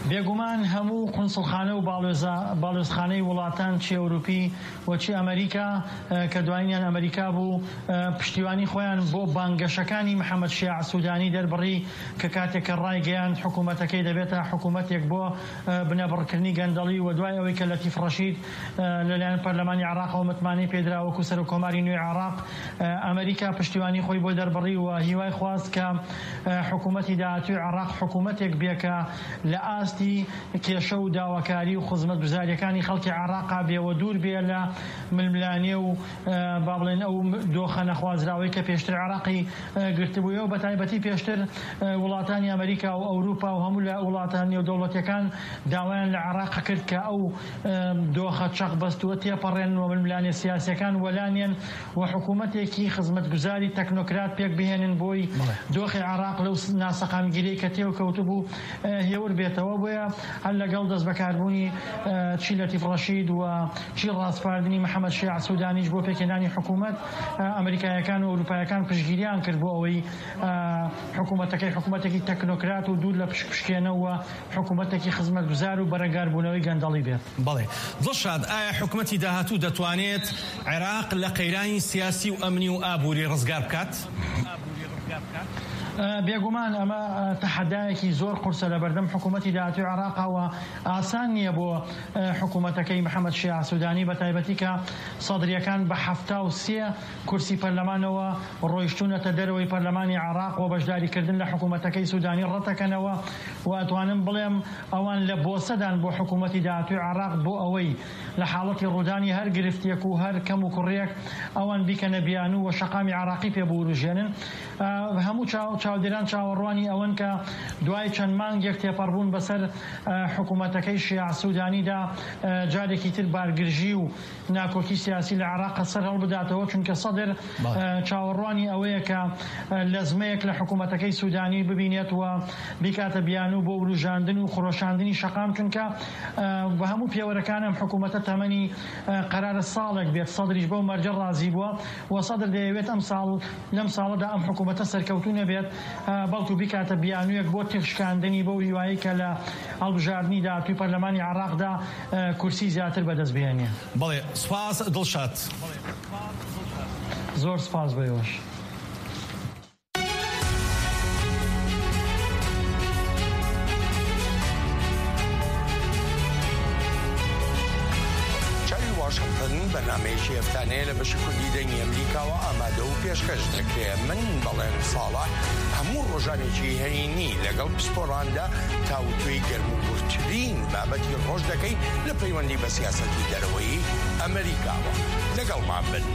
بێگومان هەموو قونسوڵخانە و باڵوێزە-، باڵوێزخانەی وڵاتان، چی ئەوروپی و چی ئەمریکا، ئە، کە دوایینیان ئەمریکا بوو، ئە، پشتیوانی خۆیان بۆ بانگەشەکانی محەممەد شیاع سوودانی دەربڕی، کە کاتێک کە ڕایگەیاند حکوومەتەکەی دەبێتە حکوومەتێک بۆ، ئە، بنەبڕکردنی گەندەڵی، و دوای ئەوەی کە لەتیف ڕەشید، ئە، لەلایەن پەرلەمانی عێراقەوە متمانەی پێدرا وەکو سەرۆک کۆماری نوێی عێراق، ئە، ئەمریکا پشتیوانی خۆی بۆ دەربڕی و هیوای خواست کە، ئە، حکوومەتی داهاتووی عێراق حکوومەتێک بێ کە لە ئاستی کێشە و داواکاری و خزمەتگوزاریەکانی خەڵکی عێراقا بێ و دوور بێ لە ململانێ و، ئە، با بڵێن ئەو دۆخە نەخوازراوەی کە پێشتر عێراقی، ئە، گرتبوویەوە. بە تایبەتی پێشتر، ئە، وڵاتانی ئەمریکا و ئەوروپا و هەموو لە وڵاتە نێودەوڵەتیەکان داوایان لە عێراق کرد کە ئەو، ئە، دۆخە چەق بەستووە تێپەڕێن و ململانێ سیاسیەکان وەلانێن و حکوومەتێکی خزمەتگوزاری تەکنۆکرات پێک بهێنن بۆی بەڵێ. دۆخی عێراق لەو س-، ناسەقامگیریەی کە تێوکەوتبوو، ئە، هێور بێتەوە. بۆیە هەر لەگەڵ دەستبەکاربوونی، ئە، چی لەتیف ڕەشید و چی ڕاسپاردنی محەممەد شیاع سوودانیش بۆ پێکهێنانی حکوومەت، ئە، ئەمریکایەکان و ئەوروپایەکان پشتگیریان کرد بۆ ئەوەی، ئە، حکوومەتەکەی حکوومەتێکی تەکنۆکرات و دوور لە پشکپشکێنە و حکوومەتێکی خزمەتگوزار و بەرەنگاربوونەوەی گەندەڵی بێت. بەڵێ. دڵشاد، ئایا حکوومەتی داهاتوو دەتوانێت عێراق لە قەیرانی سیاسی و ئەمنی و ئابووری ڕزگار بکات؟ ئە، بێگومان ئەمە، ئە، تەحەدایەکی زۆر قورسە لە بەردەم حکوومەتی داهاتووی عێراقا و ئاسان نییە بۆ، ئە، حکوومەتەکەی محەممەد شیاع سوودانی، بە تایبەتی کە سەدریەکان بە حەفتا و سێ کورسی پەرلەمانەوە ڕۆیشتوونەتە دەرەوەی پەرلەمانی عێراق و بەشداریکردن لە حکوومەتەکەی سوودانی ڕەتەکەنەوە و ئەتوانم بڵێم ئەوان لە بۆسەدان بۆ حکوومەتی داهاتووی عێراق بۆ ئەوەی لە حاڵەتی ڕوودانی هەر گرفتێک و هەر کەم و کوڕیەک ئەوان بیکەنە بیانوو و شەقامی عێراقی پێ بوروژێنن. ئە، هەموو چاو-، چاودێران چاوەڕوانی ئەوەن کە دوای چەند مانگێک تێپەڕبوون بەسەر، ئە، حکوومەتەکەی شیاع سوودانیدا، ئە، جارێکی تر بارگرژی و ناکۆکی سیاسی لە عێراق سەر هەڵبداتەوە، چونکە سەدر، بەڵێ. ئە، چاوەڕوانی ئەوەیە کە، ئە، لەزمەیەک لە حکوومەتەکەی سوودانی ببینێت و بیکاتە بیانوو بۆ وروژاندن و خرۆشاندنی شەقام، چونکە، ئە، بە هەموو پێوەرەکان ئەم حکوومەتە تەمەنی، ئە، قەرارە ساڵێک بێت. سەدریش بەو مەرجە ڕازی بووە و سەدر دەیەوێت ئەم ساڵ، لەم ساڵەدا ئەم حکوومەتە سەرکەوتوو نەبێت، ئە، بەڵکو بیکاتە بیانوویەک بۆ تێکشکاندنی، بەو هیوایەی کە لە هەڵبژاردنی داهاتووی پەرلەمانی عێراقدا، ئە، کورسی زیاتر بەدەست بهێنێ. بەڵێ، سوپاس دڵشاد. زۆر سوپاس بۆ ئێوەش. چاوی واشنگتن، بەرنامەیەکی هەفتانەیە لە بەشی کوردی دەنگی ئەمریکاوە ئامادە و پێشکەش دەکرێت. من بەڵێن ساڵح هەموو ڕۆژانێکی هەینی لەگەڵ پسپۆراندا تاوتوێی گەرموگورترین بابەتی ڕۆژ دەکەین لە پەیوەندی بە سیاسەتی دەرەوەی ئەمریکاوە. لەگەڵمان بن.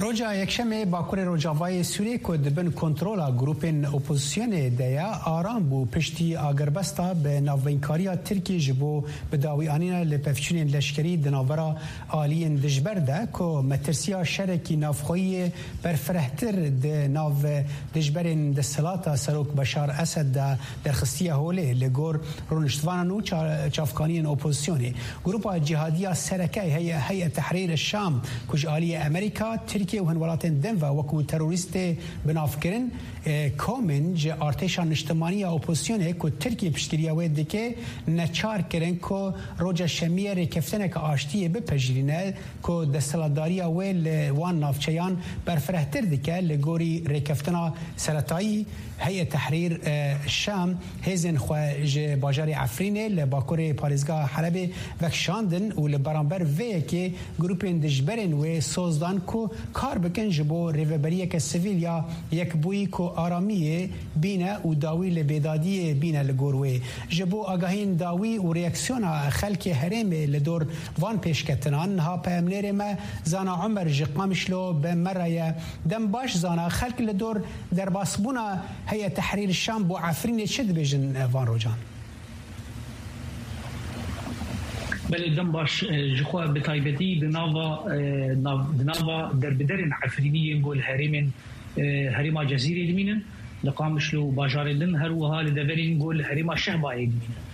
Roja Yekşemê Bakurê Rojavayê Sûrê ku di bin kontrola grûpên opozisyonê de ye, aram bû piştî agirbesta bi navbeyinkariya Tirkiyê ji bo bi dawî anîna lêpevçûnên leşkerî di navbera aliyên dijber de ku metirsiya şerekî navxweyî yê berfirehtir di nav dijberên desthilata Serok Beşar Esed de derxistiye holê. Li gor rûniştvanan û ça-, çavkaniyên opozisyonê, Grupa Cîhadiya Sereke Heye-, Heyet Tehrîr Şam ku ji aliyê Amerîka, Tirkiye û hin welatên din ve wekû terorîstê binavkirin, e, komên ji artêşa niştimanî ya opozisyonê ku Tirkiye piştgiriya wê dike, neçar kirin ku roja Şemiyê rêkeftineke aştiyê bipejirîne ku desthilatdariya wê li wan navçeyan berfirehtir dike. Li gorî rêkeftina seretayî, Heyet Tehrîr, e, Şam hêzên xwe ji bajarê Efrînê li bakurê parêzgeha Helebê vekişandin û li beramber vê yekê grûpên dijberên wê soz dan ku kar bikin ji bo rêveberiyeke sivîl ya yekbûyî ku aramiyê bîne û dawî li bêdadiyê bîne li gor wê. Ji bo agahiyên dawî û reaksiyona xelkê herêmê li dor van pêşketinan, niha peyamnêrê me Zana Omer ji Qamişlo bi me re ye. Dem baş Zana, xelk li dor derbasbûna Heyet Tehrîr Şam bo Efrînê çi dibêjin, e, van rojan? Belê, dem baş, e, ji xwe bi taybetî di nava, e, nav-, di nava derbiderên Efrînî yên ku li herêmên, e, herêma Cezîrê dimînin, li Qamişlo û bajarên din, her wiha li deverên ku li herêma Şehbayê dimînin.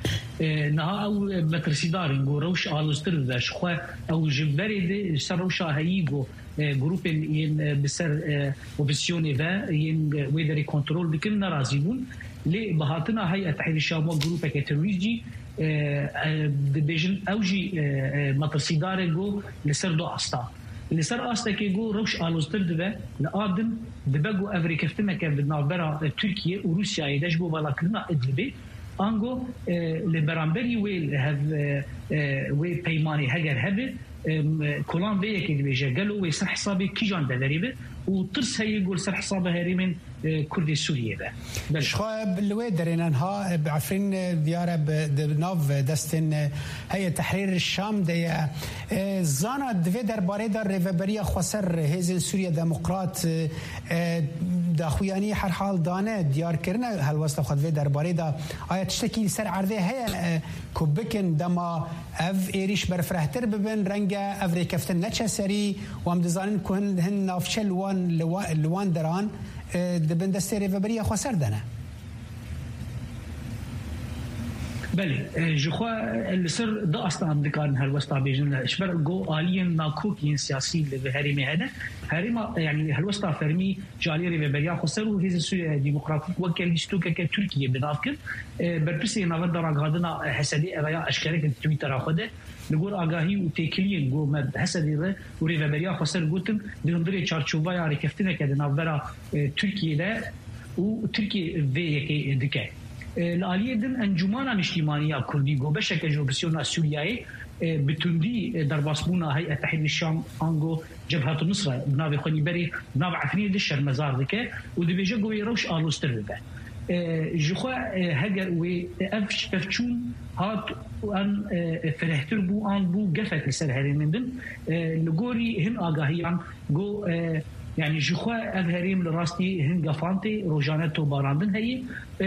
E, niha ew, e, metirsîdar in ku rewş aloztir dibe. Ji xwe ew ji berê de li ser rewşa heyî ku e, grûpên yên, e, bi ser, e, opozisyonê ve yên, e, wê derê kontrol dikin nerazî bûn. Lê bi hatina Heyet Tehrîr Şam wek grûpeke terorîst jî, e, e, dibêjin ew jî, e, e, metirsîdar e ku li ser du asta. Li ser astekê ku rewş aloztir dibe, li a din dibe ku ev rêkeftineke di navbera, e, Tirkiye û Rûsyayê de ji bo valakirina Idlibê, ango, e, li beramberî wê li hev, e, e, wê peymanê heger hebe, Em, kolan vê yekê dibêje, gelo wê ser hesabê kîjan deverê be û tirs heye ku li ser hesaba herêmên, e, Kurdê Sûriyê be. Belê. Ji xwe bi li wê derê ne niha, e, bi Efrîn, e, diyar e bi, di nav destên, e, Heyet Tehrîr Şam de ye. E, Zana, di vê derbarê de Rêveberiya Xweser, Hêzên Sûriye Demokrat, e, e, daxuyanî herhal dane, diyar kirine helwesta xwe di vê derbarê de. Aya tiştekî li ser erdê heye, e, ku bikin dema ev êrîş berfirehtir bibin, renge ev rêkeftin neçe serî û em dizanin ku hin, hin navçe li wan, li wa-, li wan deran, e, di bin destê Rêveberiya Xweser de ne. Belê, e, ji xwe, e, li ser du asta em dikarin helwesta bêjin. Ji ber ku aliyên nakok yên siyasî li vê herêmê hene, herêma, e, yanî helwesta fermî ji aliyê Rêveberiya Xweser û Hêzên Sûriye Demokratîk weke lîstokeke Tirkiye bi nav kir. E, berpirsê Navenda Ragihandina Hesedê ev ya eşkere kir di Twittera xwe de. Li gor agahî û têkiliyên ku me bi Hesedê re û Rêveberiya Xweser gotin, di hundirê çarçoveya rêkeftineke di navbera, e, Tirkiyê de û Tirkiye vê yekê dike. E, li aliyê din Encûmana Niştîmanî ya Kurdî ku beşeke ji opozisyona Sûriyeyê, e, bi tundî, e, derbasbûna Heyet Tehrîr Şam ango Cebhetu Nusra bi navê xwe nî berê di nav Efrînê de şermezar dike û dibêje ku wê rewş aloztir bibe. E, ji xwe, e, heger wê ev pevçûn hat û em, e, firehtir bû an bû gefek li ser herêmên din, e, li gorî hin agahiyan ku, e, yanî ji xwe ev herêm li rastî hin gefan tê, rojane tobarandin heye. E,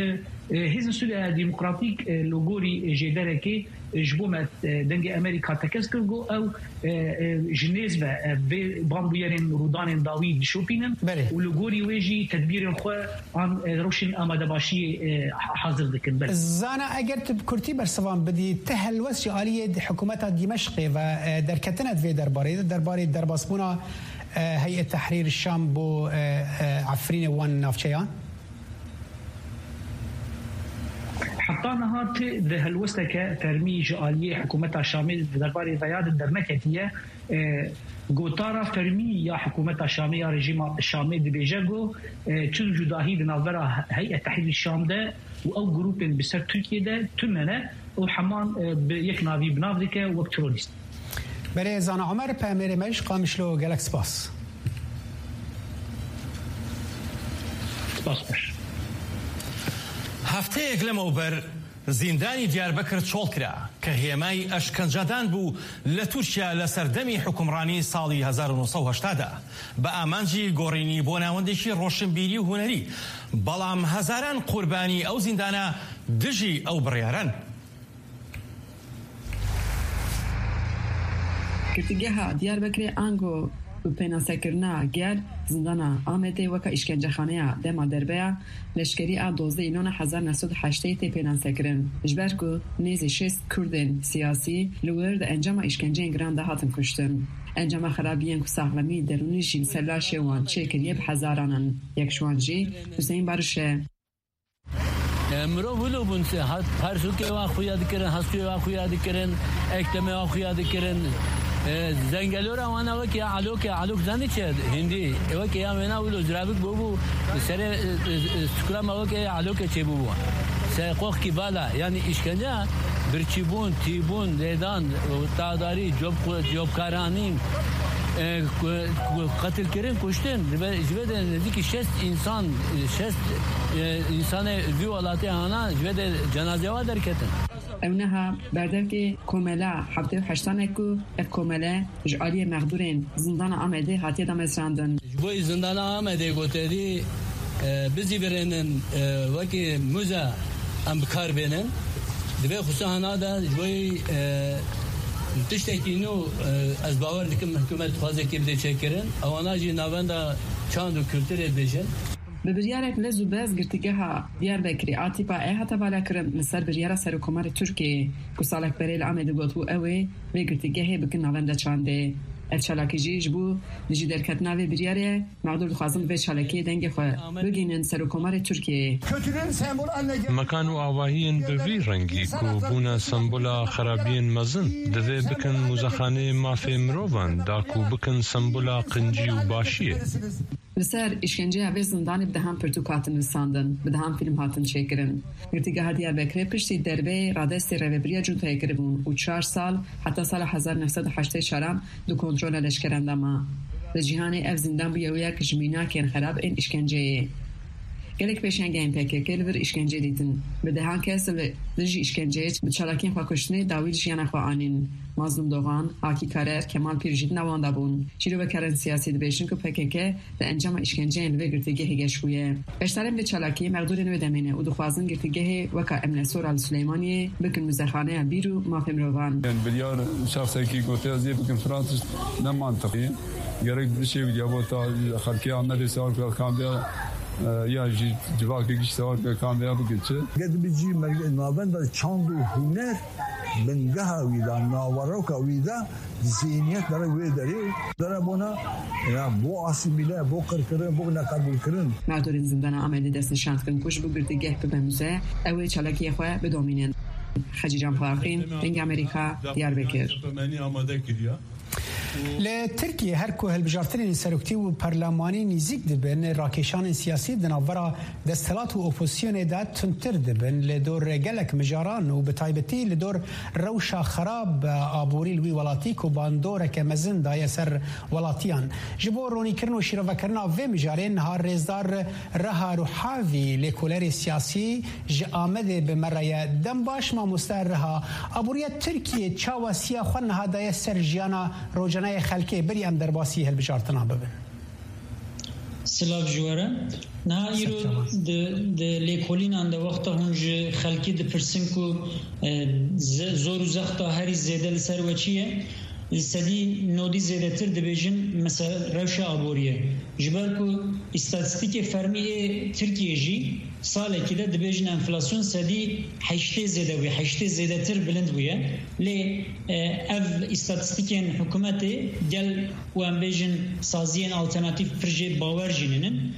e, Hêzên Sûriya Demokratîk, e, li gorî jêderekê, e, ji bo me, e, dengê Amerîka tekez kir, got ew, e, e, ji nêz ve, e, vê banbûyerên rûdanên dawî dişopînin Belê. Û li gorî wê jî tedbîrên xwe an, e, rewşên amadebaşiyê, e, ha-, hazir dikin. Belê. Zana, eger tu bi kurtî bersivan bidî, ti helwest ji aliyê di hikûmeta Dîmeşqê ve, e, derketine di vê derbarê de, derbarê derbasbûna, e, Heyet Tehrîr Şam bo, e, e, Efrînê wan navçeyan? Heta niha ti di helwesteke fermî ji aliyê hikûmeta Şamê di derbarê veya de derneketiye. E, gotara fermî ya hikûmeta Şamê ya rejîma Şamê dibêje ku, e, çi cudahî di navbera Heyet Tehrîr Şam de û ew grûpên bi ser Tirkiyê de tune ne û heman, e, bi yek navî bi nav dike wek terorîst. Belê, Zana Omer, peyamnêrê me ji Qamişlo, gelek spas. Spas xweş. Hefteyek لەمەوبەر زیندانی دیاربەکر چۆڵ کرا کە هێمای ئەشکەنجەدان بوو لە تورکیا لە سەردەمی حکومڕانی ساڵی هەزار و نۆ سەد و هەشتا دا، بە ئامانجی گۆڕینی بۆ ناوەندێکی ڕۆشنبیری و هونەری، بەڵام هەزاران قوربانی ئەو زیندانە دژی ئەو بڕیارەن. Girtîgeha Diyarbekirê ango bi pênasekirina gel zindana Amedê weke îşkencexaneya dema derbeya leşkerî a dozdeh Înona hezar neh sed û heştê tê pênasekirin, ji ber ku nêzî şêst Kurdên siyasî li wir di encama îşkenceyên giran de hatin kuştin. Encama xerabiyên ku saxlemî derûnî jî li ser laşê wan çêkiriye bi hezaran in. Yek ji wan jî Huseyîn Bariş e. E, mirov wilo bûn, se-, ha-, persûkê wa xuya dikirin, hestûyê wa xuya dikirin, eklemê wa xuya dikirin. E, zengelora wana wekî ya Elokê, Elok zanî çi? Hindî. E, wekî ya wêna wilo ziravik bûbû, serê, e, e, e, sukura me wekî ya Elokê çêbûbû. Serê qoxkî vala, yanî îşkence, birçîbûn, tîbûn, lêdan, tadarî, cob-, cobkaranî, e, ku-, ku-, qetilkirin, kuştin. Ji vê, ji vê de nêzîkî şêst însan, şêst, e, însanê vî welatê hana ji vê de cenazeya wa derketin. Ew niha berdevkê komela heftê û heştanek ku ev komele ji aliyê mexdûrên zindana Amedê hatiye damezrandin. Ji bo zindana Amedê ku te dî, e, bizîvirênin, e, wekî muze em bi kar bênin. Divê xwisa hana de ji bo, e, tiştekî nû, e, ez bawer dikim hikûmet dixwaze kê bide çêkirin. Ewana jî navenda çand û kulturê dibêjin. Bi biryarek lez û bez girtîgeha Diyarbekirê a tîpa E hate valakirin li ser biryara Serokkomarê Tirkiyeyê ku salek berê li Amedê gotibû ew ê vê girtîgehê bikin navenda çandê. Ev çalakî jî ji bo dijî derketina vê biryarê ye. Mexdûr dixwazin bi vê çalakiyê dengê xwe bigihînin Serokkomarê Tirkiyeyê. Kötülüğün sembolü haline gelen Mekan û avahiyên bi vî rengî ku bûne sembola xerabiyên mezin, divê bikin muzexaneyê mafê mirovan da ku bikin sembola qincî û başiyê. Li ser îşkenceya vê zindanê bi dehan pirtûk hatin nivîsandin, bi dehan fîlm hatin çêkirin. Girtîgeha Diyarbekirê piştî derbeyê radestê rêvebiriya cuntayê kiribûn û çar sal, heta sala hezar neh sed û heştê çaran di kontrola leşkeran de ma. Li cîhanê ev zindan bûye wek ji mînakên xerab ên îşkenceyê. Gelek pêşengehên P K K li vir îşkence dîtin. Bi dehan kes li dijî îşkenceyê bi çalakiyên xwekuştinê dawî li jiyana xwe anîn. Mazlûm Dogan, Akî Karer, Kemal Pîr jî di nav wan de bûn. Şîrovekarên siyasî dibêjin ku P K K di encama îşkenceyên li vê girtîgehê geş bûye. Beşdarên vê çalakiyê mexdûrên wê demê ne û dixwazin girtîgehê weka Emnesora li Silêmaniyê bikin muzexaneya bîr û mafê mirovan. Yani biryar şexsekî gotiye ez ê bikim filan tişt ne mantiqî. Gerek bişêwî ya bo ta xelkê Amedê sewar kir kambiya, e, ya jî civakê giş sewar kir kambiya bikin çi. Ged bi cî me-, navenda çand û huner bingeha wî de, naveroka wî de, zêniyet dere wê derê, dere bona, ya, bo asîmîle, bo qirkirin, bo neqebûlkirin. Mexdûrên zindana Amedê destnîşan dikin ku ji bo girtîgeh bibe muze, ew ê çalakiyê xwe bidomînin. Hecîcan Faqîn, Dengê Amerîka, Diyarbekir. Li Tirkiyê her ku hilbijartinên seroktî û perlemanî nîzîk dibin, rakêşanên siyasî di navbera desthilat û opozisyonê de tundtir dibin. Li dor gelek mijaran û bi taybetî li dor rewşa xerab aborî li wî welatî ku bandoreke mezin daye ser welatiyan. Ji bo ronîkirin û şîrovekirina vê mijarê niha rêzdar Reha Ruhavî, lêkolerê siyasî ji Amedê bi me re ye. Dem baş mamoste Reha. Aboriya Tirkiyê çawa siya xwe niha daye ser jiyana rocanayê xelkê? Berî em derbasî hilbijartina bibin. Silav ji we re. Niha îro di, di lêkolînan de wexta hûn ji xelkê dipirsin ku, e, ze-, zor û zexta herî zêde li ser we çi ye? Li sedî nodî zêdetir dibêjin, mesela rewşa aborî ye. Ji ber ku îstatîstîkê fermî ê Tirkiyê jî salekî de dibêjin enflasyon sedî heştê zêde bûye, heştê zêdetir bilind bûye. Lê, e, ev îstatîstîkên hikûmetê gel û em bêjin saziyên alternatîf pir jê bawer jî nînin.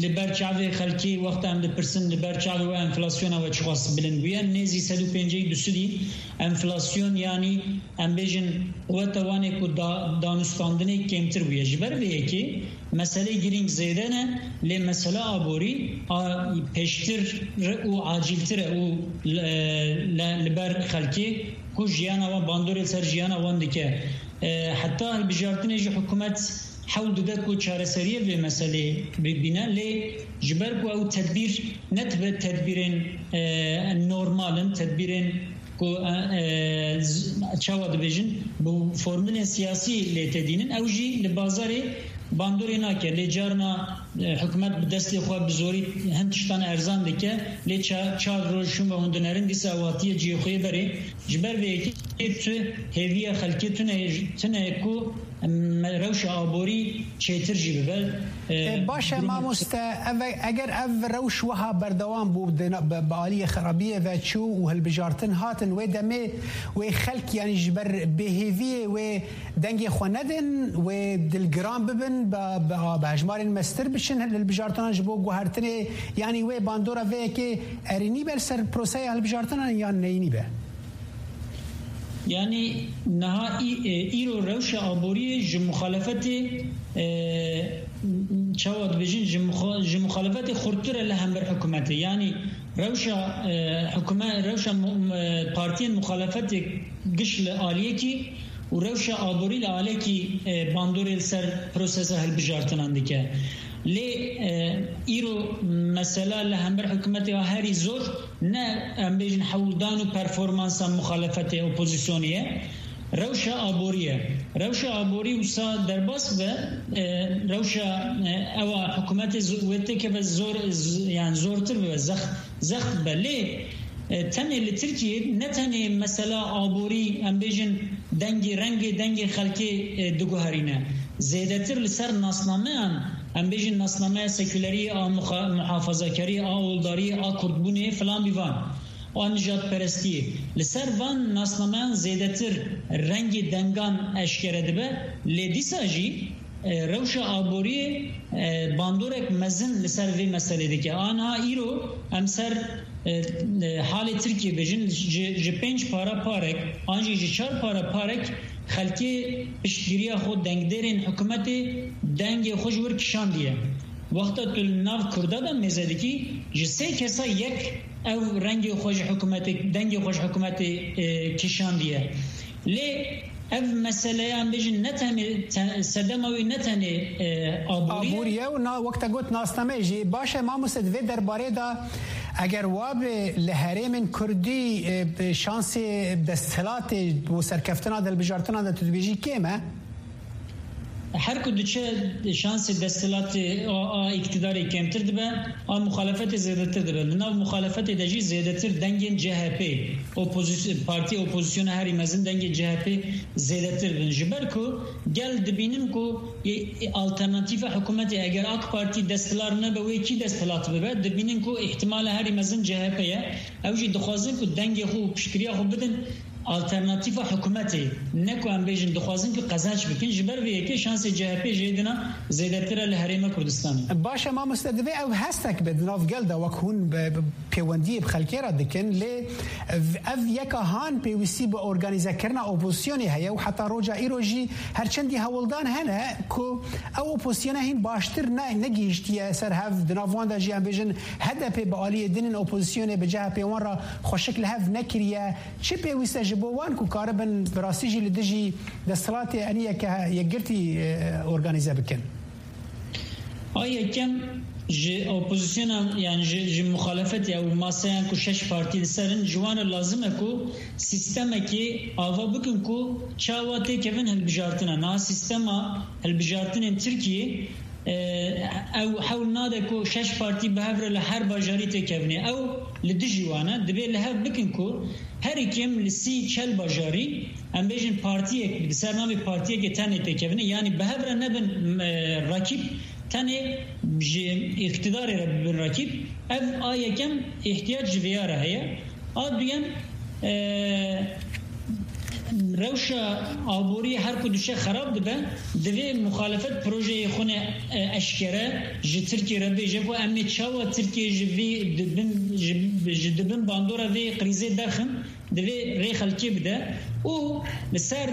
Li ber çavê xelkê wexta em dipirsin, li ber çavê we enflasyona we çiqas bilind bûye? Nêzî sed û pêncî du sedî enflasyon, yanî em bêjin quweta wanê ku da-, danûstandinê kêmtir bûye. Ji ber vê yekê meselê girîng zêde ne, lê mesela aborî a pêştir û acîltir e û li, li, li ber xelkê ku jiyana wan, bandorê li ser jiyana wan dike. E, heta hilbijartinê jî hikûmet hewl dide ku çareseriyê vê meselê bibîne, lê ji ber ku ew tedbîr ne dibe tedbîrên, e, normal in, tedbîrên ku, e, e, z-, çawa dibêjin, bi formulên siyasî lê tê dînin, ew jî li bazarê bandorê nake. Lê carna, e, hikûmet bi destê xwe bi zorî hin tiştan erzan dike, lê ça-, çar roj çûn ve hûn dinerin, dîsa ew hatiye cihê xwe yê berê. Ji ber vê yekê tu hêviya xelkê tune, tune ku em, rewşa aborî çêtir jî bibe. E, E, baş e, durum- mamoste, ev, eger ev rewş wiha berdewam bû, di na-, bi, bi aliyê xerabiyê ve çû û hilbijartin hatin, wê demê wê xelk, yanî ji ber bêhêviyê wê dengê xwe nedin, wê dilgiran bibin, bi, bi, bi hejmarên mestir biçin hilbijartinan ji bo guhertinê, yanî wê bandora vê yekê erênî be li ser proseya hilbijartinan yan neyînî be? Yanî niha î-, e, îro rewşa aboriyê ji muxalefetê, e, çawa dibêjin, ji muxa-, ji muxalefetê xurttir e li hember hikûmetê. Yanî rewşa, e, hikûme-, rewşa mu-, mu-, partiyên muxalefetê giş li aliyekî û rewşa aborî li alekî, e, bandorê li ser prosesa hilbijartinan dike. Lê, e, îro mesela li hember hikûmetê ya herî zor ne, em bêjin, hewldan û performansa muxalefetê, opozîsyonê ye. Rewşa aborî ye. Rewşa aborî wisa derbas be, e, rewşa, e, ewa hikûmetê zo-, wê têkeve zor, z-, yani zortir bibe, zex-, zext bibe. Lê, e, tenê li Tirkiyê ne tenê mesela aborî, em bêjin, dengê, rengê, dengê xelkê, e, diguherîne. Zêdetir li ser nasnameyan, em bêjin nasnameya sekuleriyê, a muxa-, muhafazakariyê, a oldariyê, a kurdbûnê filan bîvan, a nijadperestiyê. Li ser van nasnameyan zêdetir rengê dengan eşkere dibe, lê dîsa jî, e, rewşa aboriyê, e, bandorek mezin li ser vê meselê dike. Aniha îro em ser, e, e, halê Tirkiyê bêjin, ji, ji pênc para parek, an jî ji çar para parek xelkê piştgiriya xwe dengdêrên hikûmetê dengê xwe ji wir kişandiye. Wexta tu li nav Kurda de mêze dikî, ji sê kesa yek ew rengê xwe ji hikûmetê, dengê xwe ji hikûmetê, e, kişandiye. Lê ev meseleya, em bêjin, ne tenê, te-, sedema wî ne tenê, e, aborî ye. Aborî ye û na-, wek te got, nasname jî. Baş e, mamoste, di vê derbarê de eger wabe li herêmên Kurdî, e, şansê desthilatê bo serkeftina di hilbijartinan de tu dibêjî kêm e? Her ku diçe şansê desthilatê a, a îktidarê kêmtir dibe, a muxalefetê zêdetir dibe. Li nav muxalefetê de jî zêdetir dengên C H P, opozîs-, partiyê opozisyona herî mezin dengên C H P zêdetir bin. Ji ber ku gel dibînin ku, e, e, alternatîfa hikûmetê eger AK Partî desthilat nebe, wê kî desthilat bibe? Dibînin ku îhtimala herî mezin C H P ye. Ew jî dixwazin ku dengê xwe û piştgiriya xwe bidin alternatîfa hikûmetê, ne ku em bêjin dixwazin ku qezenç bikin, ji ber vê yekê şansê C H P jê dina zêdetir e li Herêma Kurdistanê. Baş e, mamoste, divê ew hestek be di nav gel de, wek hûn bi, bi pêwendiyê bi xelkê re dikin, lê ev, ev yeka han pêwîstî bi organîzekirina opozîsyonê heye û heta roja îro jî her çendî hewldan hene ku ew opozîsyona hîn baştir ne, negihîştiye ser hev, di nav wan de jî em bêjin H D P bi aliyê din in, opozîsyonê bi C H P wan re xweşik li hev nekiriye. Çi pêwîst e ji bo wan ku karibin bi rastî jî li dijî desthilatê enî yeke yekgirtî, e, organîze bikin? A yekem ji opozisyona, yani ji, ji muxalefetê ew maseyan ku şeş partî li ser in, ji wan re lazim e ku sîstemekê ava bikin ku çawa têkevin hilbijartina. Niha sîstema hilbijartinên Tirkiyê, e, ew hewl nade ku şeş partî bi hev re li her bajarî têkevnê. Ew li dijî wan e. Divê li hev bikin ku herî kêm li sî çel bajarî, em bêjin, partiyek, di ser navê partiyekê tenê têkevine, yanî bi hev re nebin, e, rakîb, tenê ji îqtidarê re bibin rakîb. Ev a yekem îhtiyac ji vêya re heye. A duyem, e, rewşa aboriyê her ku diçe xerab dibe, divê muxalefet projeyê xwe ne, e, eşkere ji Tirkiyê re bêje ku em ê çawa Tirkiye ji vê dibin, ji, ji dibin bandora vê krîzê derxin, divê rê xelkê bide û li ser,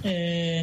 e,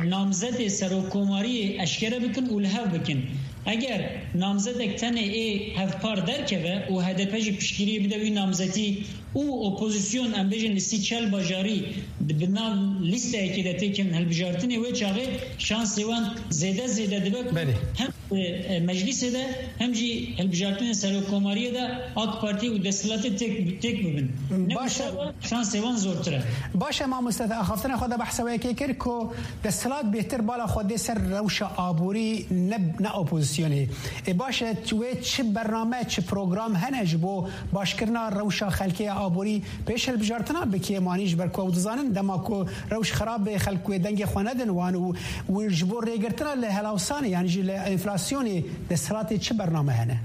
namzetê serokkomariyê eşkere bikin û li hev bikin. Eger namzetek tenê ê hevpar derkeve û H D P jî piştgiriyê bide wî namzetî û opozîsyon, em bêjin, li sî çel bajarî di, bi nav lîsteyekê de têkin hilbijartinê, wê çaxê şansê wan zêde zêde dibe ku Belê. hem, e, e, meclîsê de hem jî hilbijartinên serokkomariyê de AK Partî û desthilatê têk, têk bibin. Ne Baş e. wisa şansê wan zortir e. Baş e, mamoste, te axaftina xwe de behsa wê yekê kir ku desthilat bêhtir bala xwe dê ser rewşa aborî, ne, ne opozîsyonê. Ê, baş e, wê çi bername, çi program hene ji bo başkirina rewşa xelkê ya aborî pêş hilbijartina bike, wan jî ji ber ku ew dizanin dema ku rewş xirab be, xelk wê dengê xwe nedin wan û, û ji bo rêgirtina li helawsanê, yanî jî li enflasyonê desthilatê çi bername hene?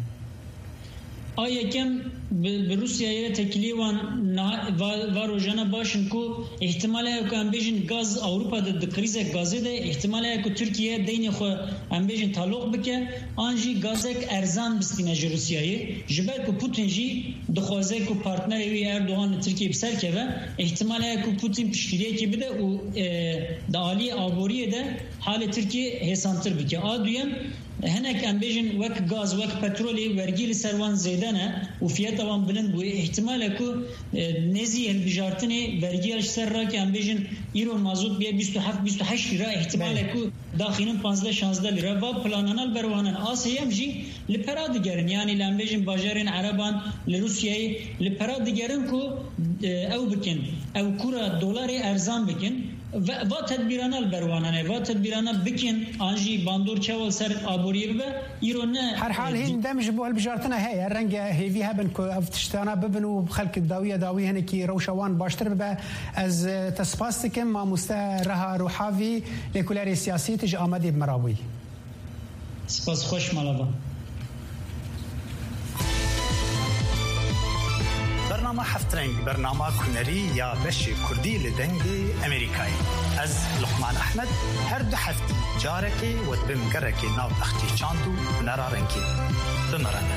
A yekem bi, bi Rûsyayê re têkiliyê wan niha-, va, va rojane baş in ku îhtimal heye ku em bêjin gaz Ewropa de di krîzek gazê de, îhtimal heye ku Tirkiye deynê xwe em bêjin taloq bike, an jî gazek erzan bistîne ji Rûsyayê. Ji ber ku Putin jî dixwaze ku partnerê wî Erdogan li Tirkiyê bi ser keve, îhtimal heye ku Putin piştgiriyekê bide û, e, di aliyê aboriyê de halê Tirkiyê hêsantir bike. A duyem, hinek em bêjin wek gaz, wek petrolê vergî li ser wan zêde ne û fiyeta wan bilind bûye. Îhtimal e ku, e, nêzî hilbijartinê vergiya ji ser rake em bêjin îro mazot bûye bîst û heft bîst û heşt lîra. Îhtimal e Belê. ku daxînin panzdeh şanzdeh lîra. Va planana li ber wan in. A sêyem jî li pera digerin. Yanî li em bêjin bajarên Ereban li Rûsyayê li pera digerin ku, e, ew bikin. Ew kura dolarê erzan bikin. Ve-, va tedbîrana li ber wan hene. Va tedbîrana bikin, an jî bandor çawa li ser aboriyê bibe, îro ne, Her hal e, hîn dem ji bo hilbijartina heye. Renge hêvî hebin ku ev tiştana bibin û xelk dawiya dawî hinekî rewşa wan baştir bibe. Ez, e, te spas dikim, mamoste Reha Ruhavî, lêkolênerê siyasî, tu ji Amedê bi me re bûyî. Spas, xweş mala ba. Bernama Heft Reng, bernama hunerî ya beşê kurdî li Dengê Emerîkayê. Ez Luqman Ehmed, her du heftî carekê we dibim gerekê nav bexçê çand û hunera rengîn. Bi me re ne.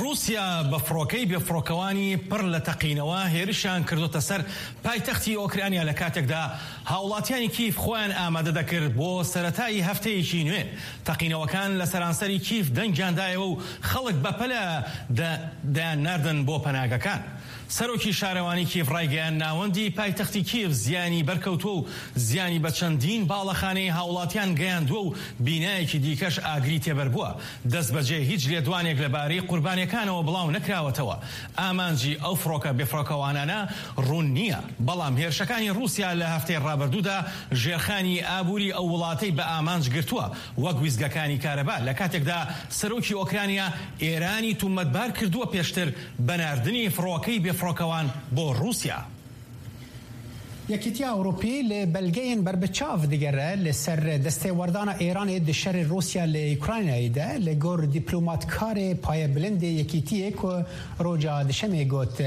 رووسیا بە فڕۆکەی بێفڕۆکەوانی پڕ لە تەقینەوە هێرشیان کردوتە سەر پایتەختی ئۆکرانیا، لە کاتێکدا هاوڵاتیانی کیف خۆیان ئامادە دەکرد بۆ سەرەتایی هەفتەیەکی نوێ. تەقینەوەکان لە سەرانسەری کیف دەنگیان دایەوە و خەڵک بەپەلە دە-، دەیان ناردن بۆ پەناگەکان. سەرۆکی شارەوانی کیف ڕایگەیاند ناوەندی پایتەختی کیف زیانی بەرکەوتووە و زیانی بە چەندین باڵەخانەی هاوڵاتیان گەیاندووە و بینایەکی دیکەش ئاگری تێبەر بووە. دەست بەجێ هیچ لێدوانێک لەبارەی قوربانیەکانەوە بڵاو نەکراوەتەوە. ئامانجی ئەو فڕۆکە بێفڕۆکەوانانە ڕوون نییە، بەڵام هێرشەکانی رووسیا لە هەفتەی ڕابردوودا ژێرخانی ئابووری ئەو وڵاتەی بە ئامانج گرتووە، وەک ویزگەکانی کارەبا، لە کاتێکدا سەرۆکی ئۆکرانیا ئێرانی تومەتبار کردووە پێشتر بە ناردنی فڕۆکەی بێفڕۆکەوان بۆ رووسیا. Yekîtiya Ewropî li belgeyên berbiçav digere li ser destêwerdana Îranê di şerê Rûsya li Ukraynayê de. Li gor dîplomatkarê payebilindê Yekîtiyê ku roja Dişemê got,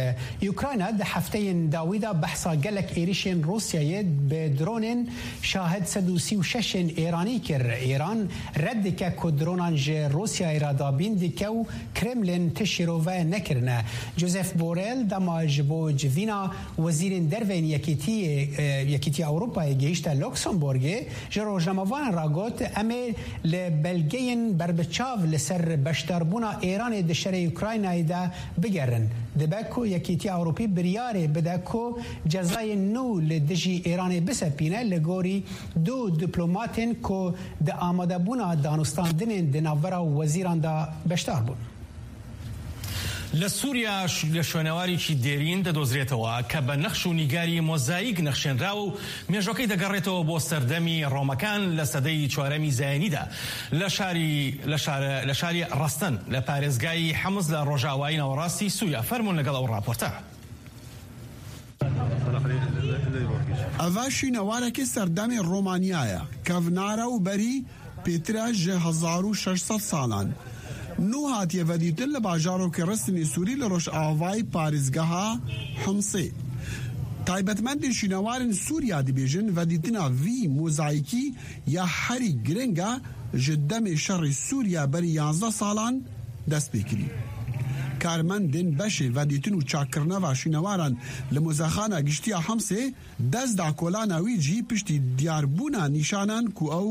Ukrayna di hefteyên dawî de behsa gelek êrişên Rûsyayê bi dronên Şahed sed û sî û şeş ên Îranî kir. Îran red dike ku dronan ji Rûsyayê re dabîn dike û Kremlin ti şîrove nekirine. Josep Borrell dema ji bo civîna wezîrên derve yên Yekîtiyê, e, Yekîtiya Ewropayê gihîşte Luxembourgê, ji rojnamevanan re got, em ê li belgeyên berbiçav li ser beşdarbûna Îranê di şerê Ukraynayê de bigerin. Dibe ku Yekîtiya Ewropî biryarê bide ku cezayên nû li dijî Îranê bisepîne, li gorî du dîplomatên ku di amadebûna danûstandinên di navbera wezîran de beşdar bûn. لە سووریا ش-، لە شوێنەوارێکی دێرین دەدۆزرێتەوە کە بە نەخش و نیگاری مۆزاییک نەخشێنراوە و مێژووەکەی دەگەڕێتەوە بۆ سەردەمی ڕۆمەکان لە سەدەی چوارەمی زایینیدا. لە شاری، لە شارە، لە شاری ڕەستەن، لە پارێزگای حەمز لە ڕۆژاوایی ناوەڕاستی سووریا. فەرموون لەگەڵ ئەو ڕاپۆرتە. Eva şînewarekî serdemê Romaniyayê, kevnare û berî pêtir e ji hezar û şeş sed salan. Nû hatiye vedîtin li bajarokê Risinê Sûrî li rojavayî parêzgeha Humsê. Taybetmendên şînewarên Sûriya dibêjin, vedîtina vî mozayîkî ya herî giring e ji demê şerê Sûriya berî yanzdeh salan dest pê kirî. Karmendên beşê vedîtin û çakkirina va şînewaran li Muzexana Giştî ya Hemsê dest da kolana wî cihî piştî diyarbûna nîşanan ku ew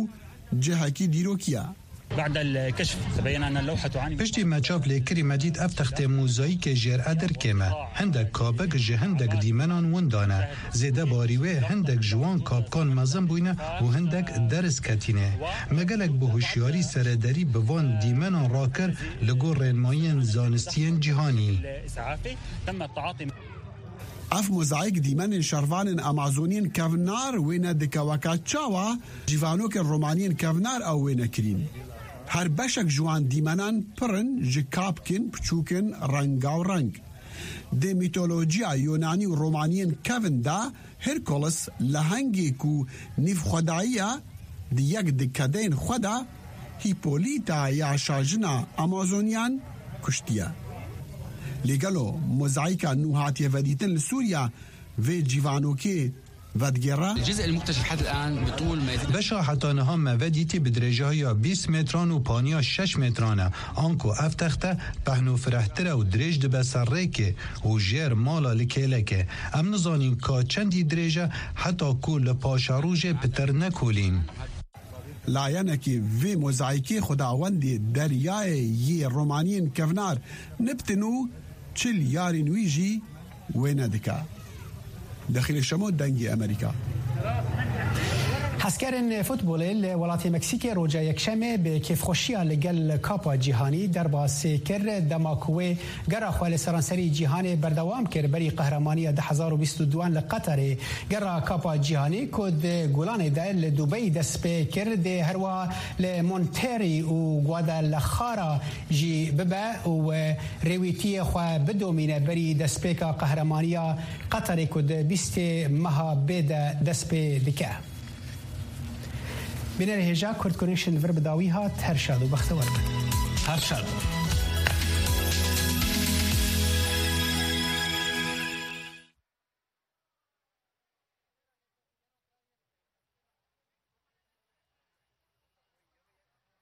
cihekî dîrokî ye. بعد الكشف تبين أن اللوحة تعاني من Piştî me çav lê kirî me dît ev textê mozayîkê jêr edir kêm e. Hindek kabik ji hindek dîmenan winda ne. Zêde barî wê hindek ji wan kabkan mezin bûyne û hindek deriz ketîne. Me gelek bi hişyarî serederî bi van dîmenan rakir li gor rênmayiyên zanistiyên cîhanî. الإسعافي تم التعاطي Ev mozaîk dîmenên şervanên Amazoniyên kevnar wêne dike weke çawa cîvanokên romaniyên kevnar ew wêne kirîn. Her beşek ji wan dîmenan pir in ji kapkên piçûk in rengaw reng. Di mîtolojiya Yonanî û Romaniyên kevin de Herkules lehengê ku nîvxwedayiya di yek di kedeyên xwe de Hîpolîta ya şajina Amazoniyan kuştiye. Lê gelo mozaîka nû hatiye vedîtin li Sûriya vê cîvanokê vedigêre? الجزء المكتشف حتى الآن بطول ما يزيد Beşa heta niha me vedîtî bi dirêjahiya bîst metran û paniya şeş metran e. Anku ev texte pehno firehtir e û dirêj dibe ser rêkê û jêr mala li kêlekê. Em nizanîn ka çendî dirêj e heta ku li paşerojê pitir nekolîn. Layenekî vê mozaîkê xwedawendê deryayê yê romaniyên kevnar niptin û çil yarên wî jî wêne dike. Dexîlê Şemo, Dengê Amerîka. Hezkerên futbolê li welatê Meksîkê roja Yekşemê bi kêfxweşiya li gel Kapa Cîhanî derbasê kir, dema ku wê gera xwe li seranserî cîhanê berdewam kir berî qehramaniya du hezar û bîst û duan li Qeterê. Gera Kapa Cîhanî ku di Gulanê de li Dubeyî dest pê kir, dê herwa li Monterrey û Guadalajara jî bibe û rêwîtiyê xwe bidomîne berî destpêka qehramaniya Qeterê ku di bîstê meha bê de dest pê dike. Bînerê hêja Kurd Connection vir bi dawî hat, her şad û bextewar bin. Her şad.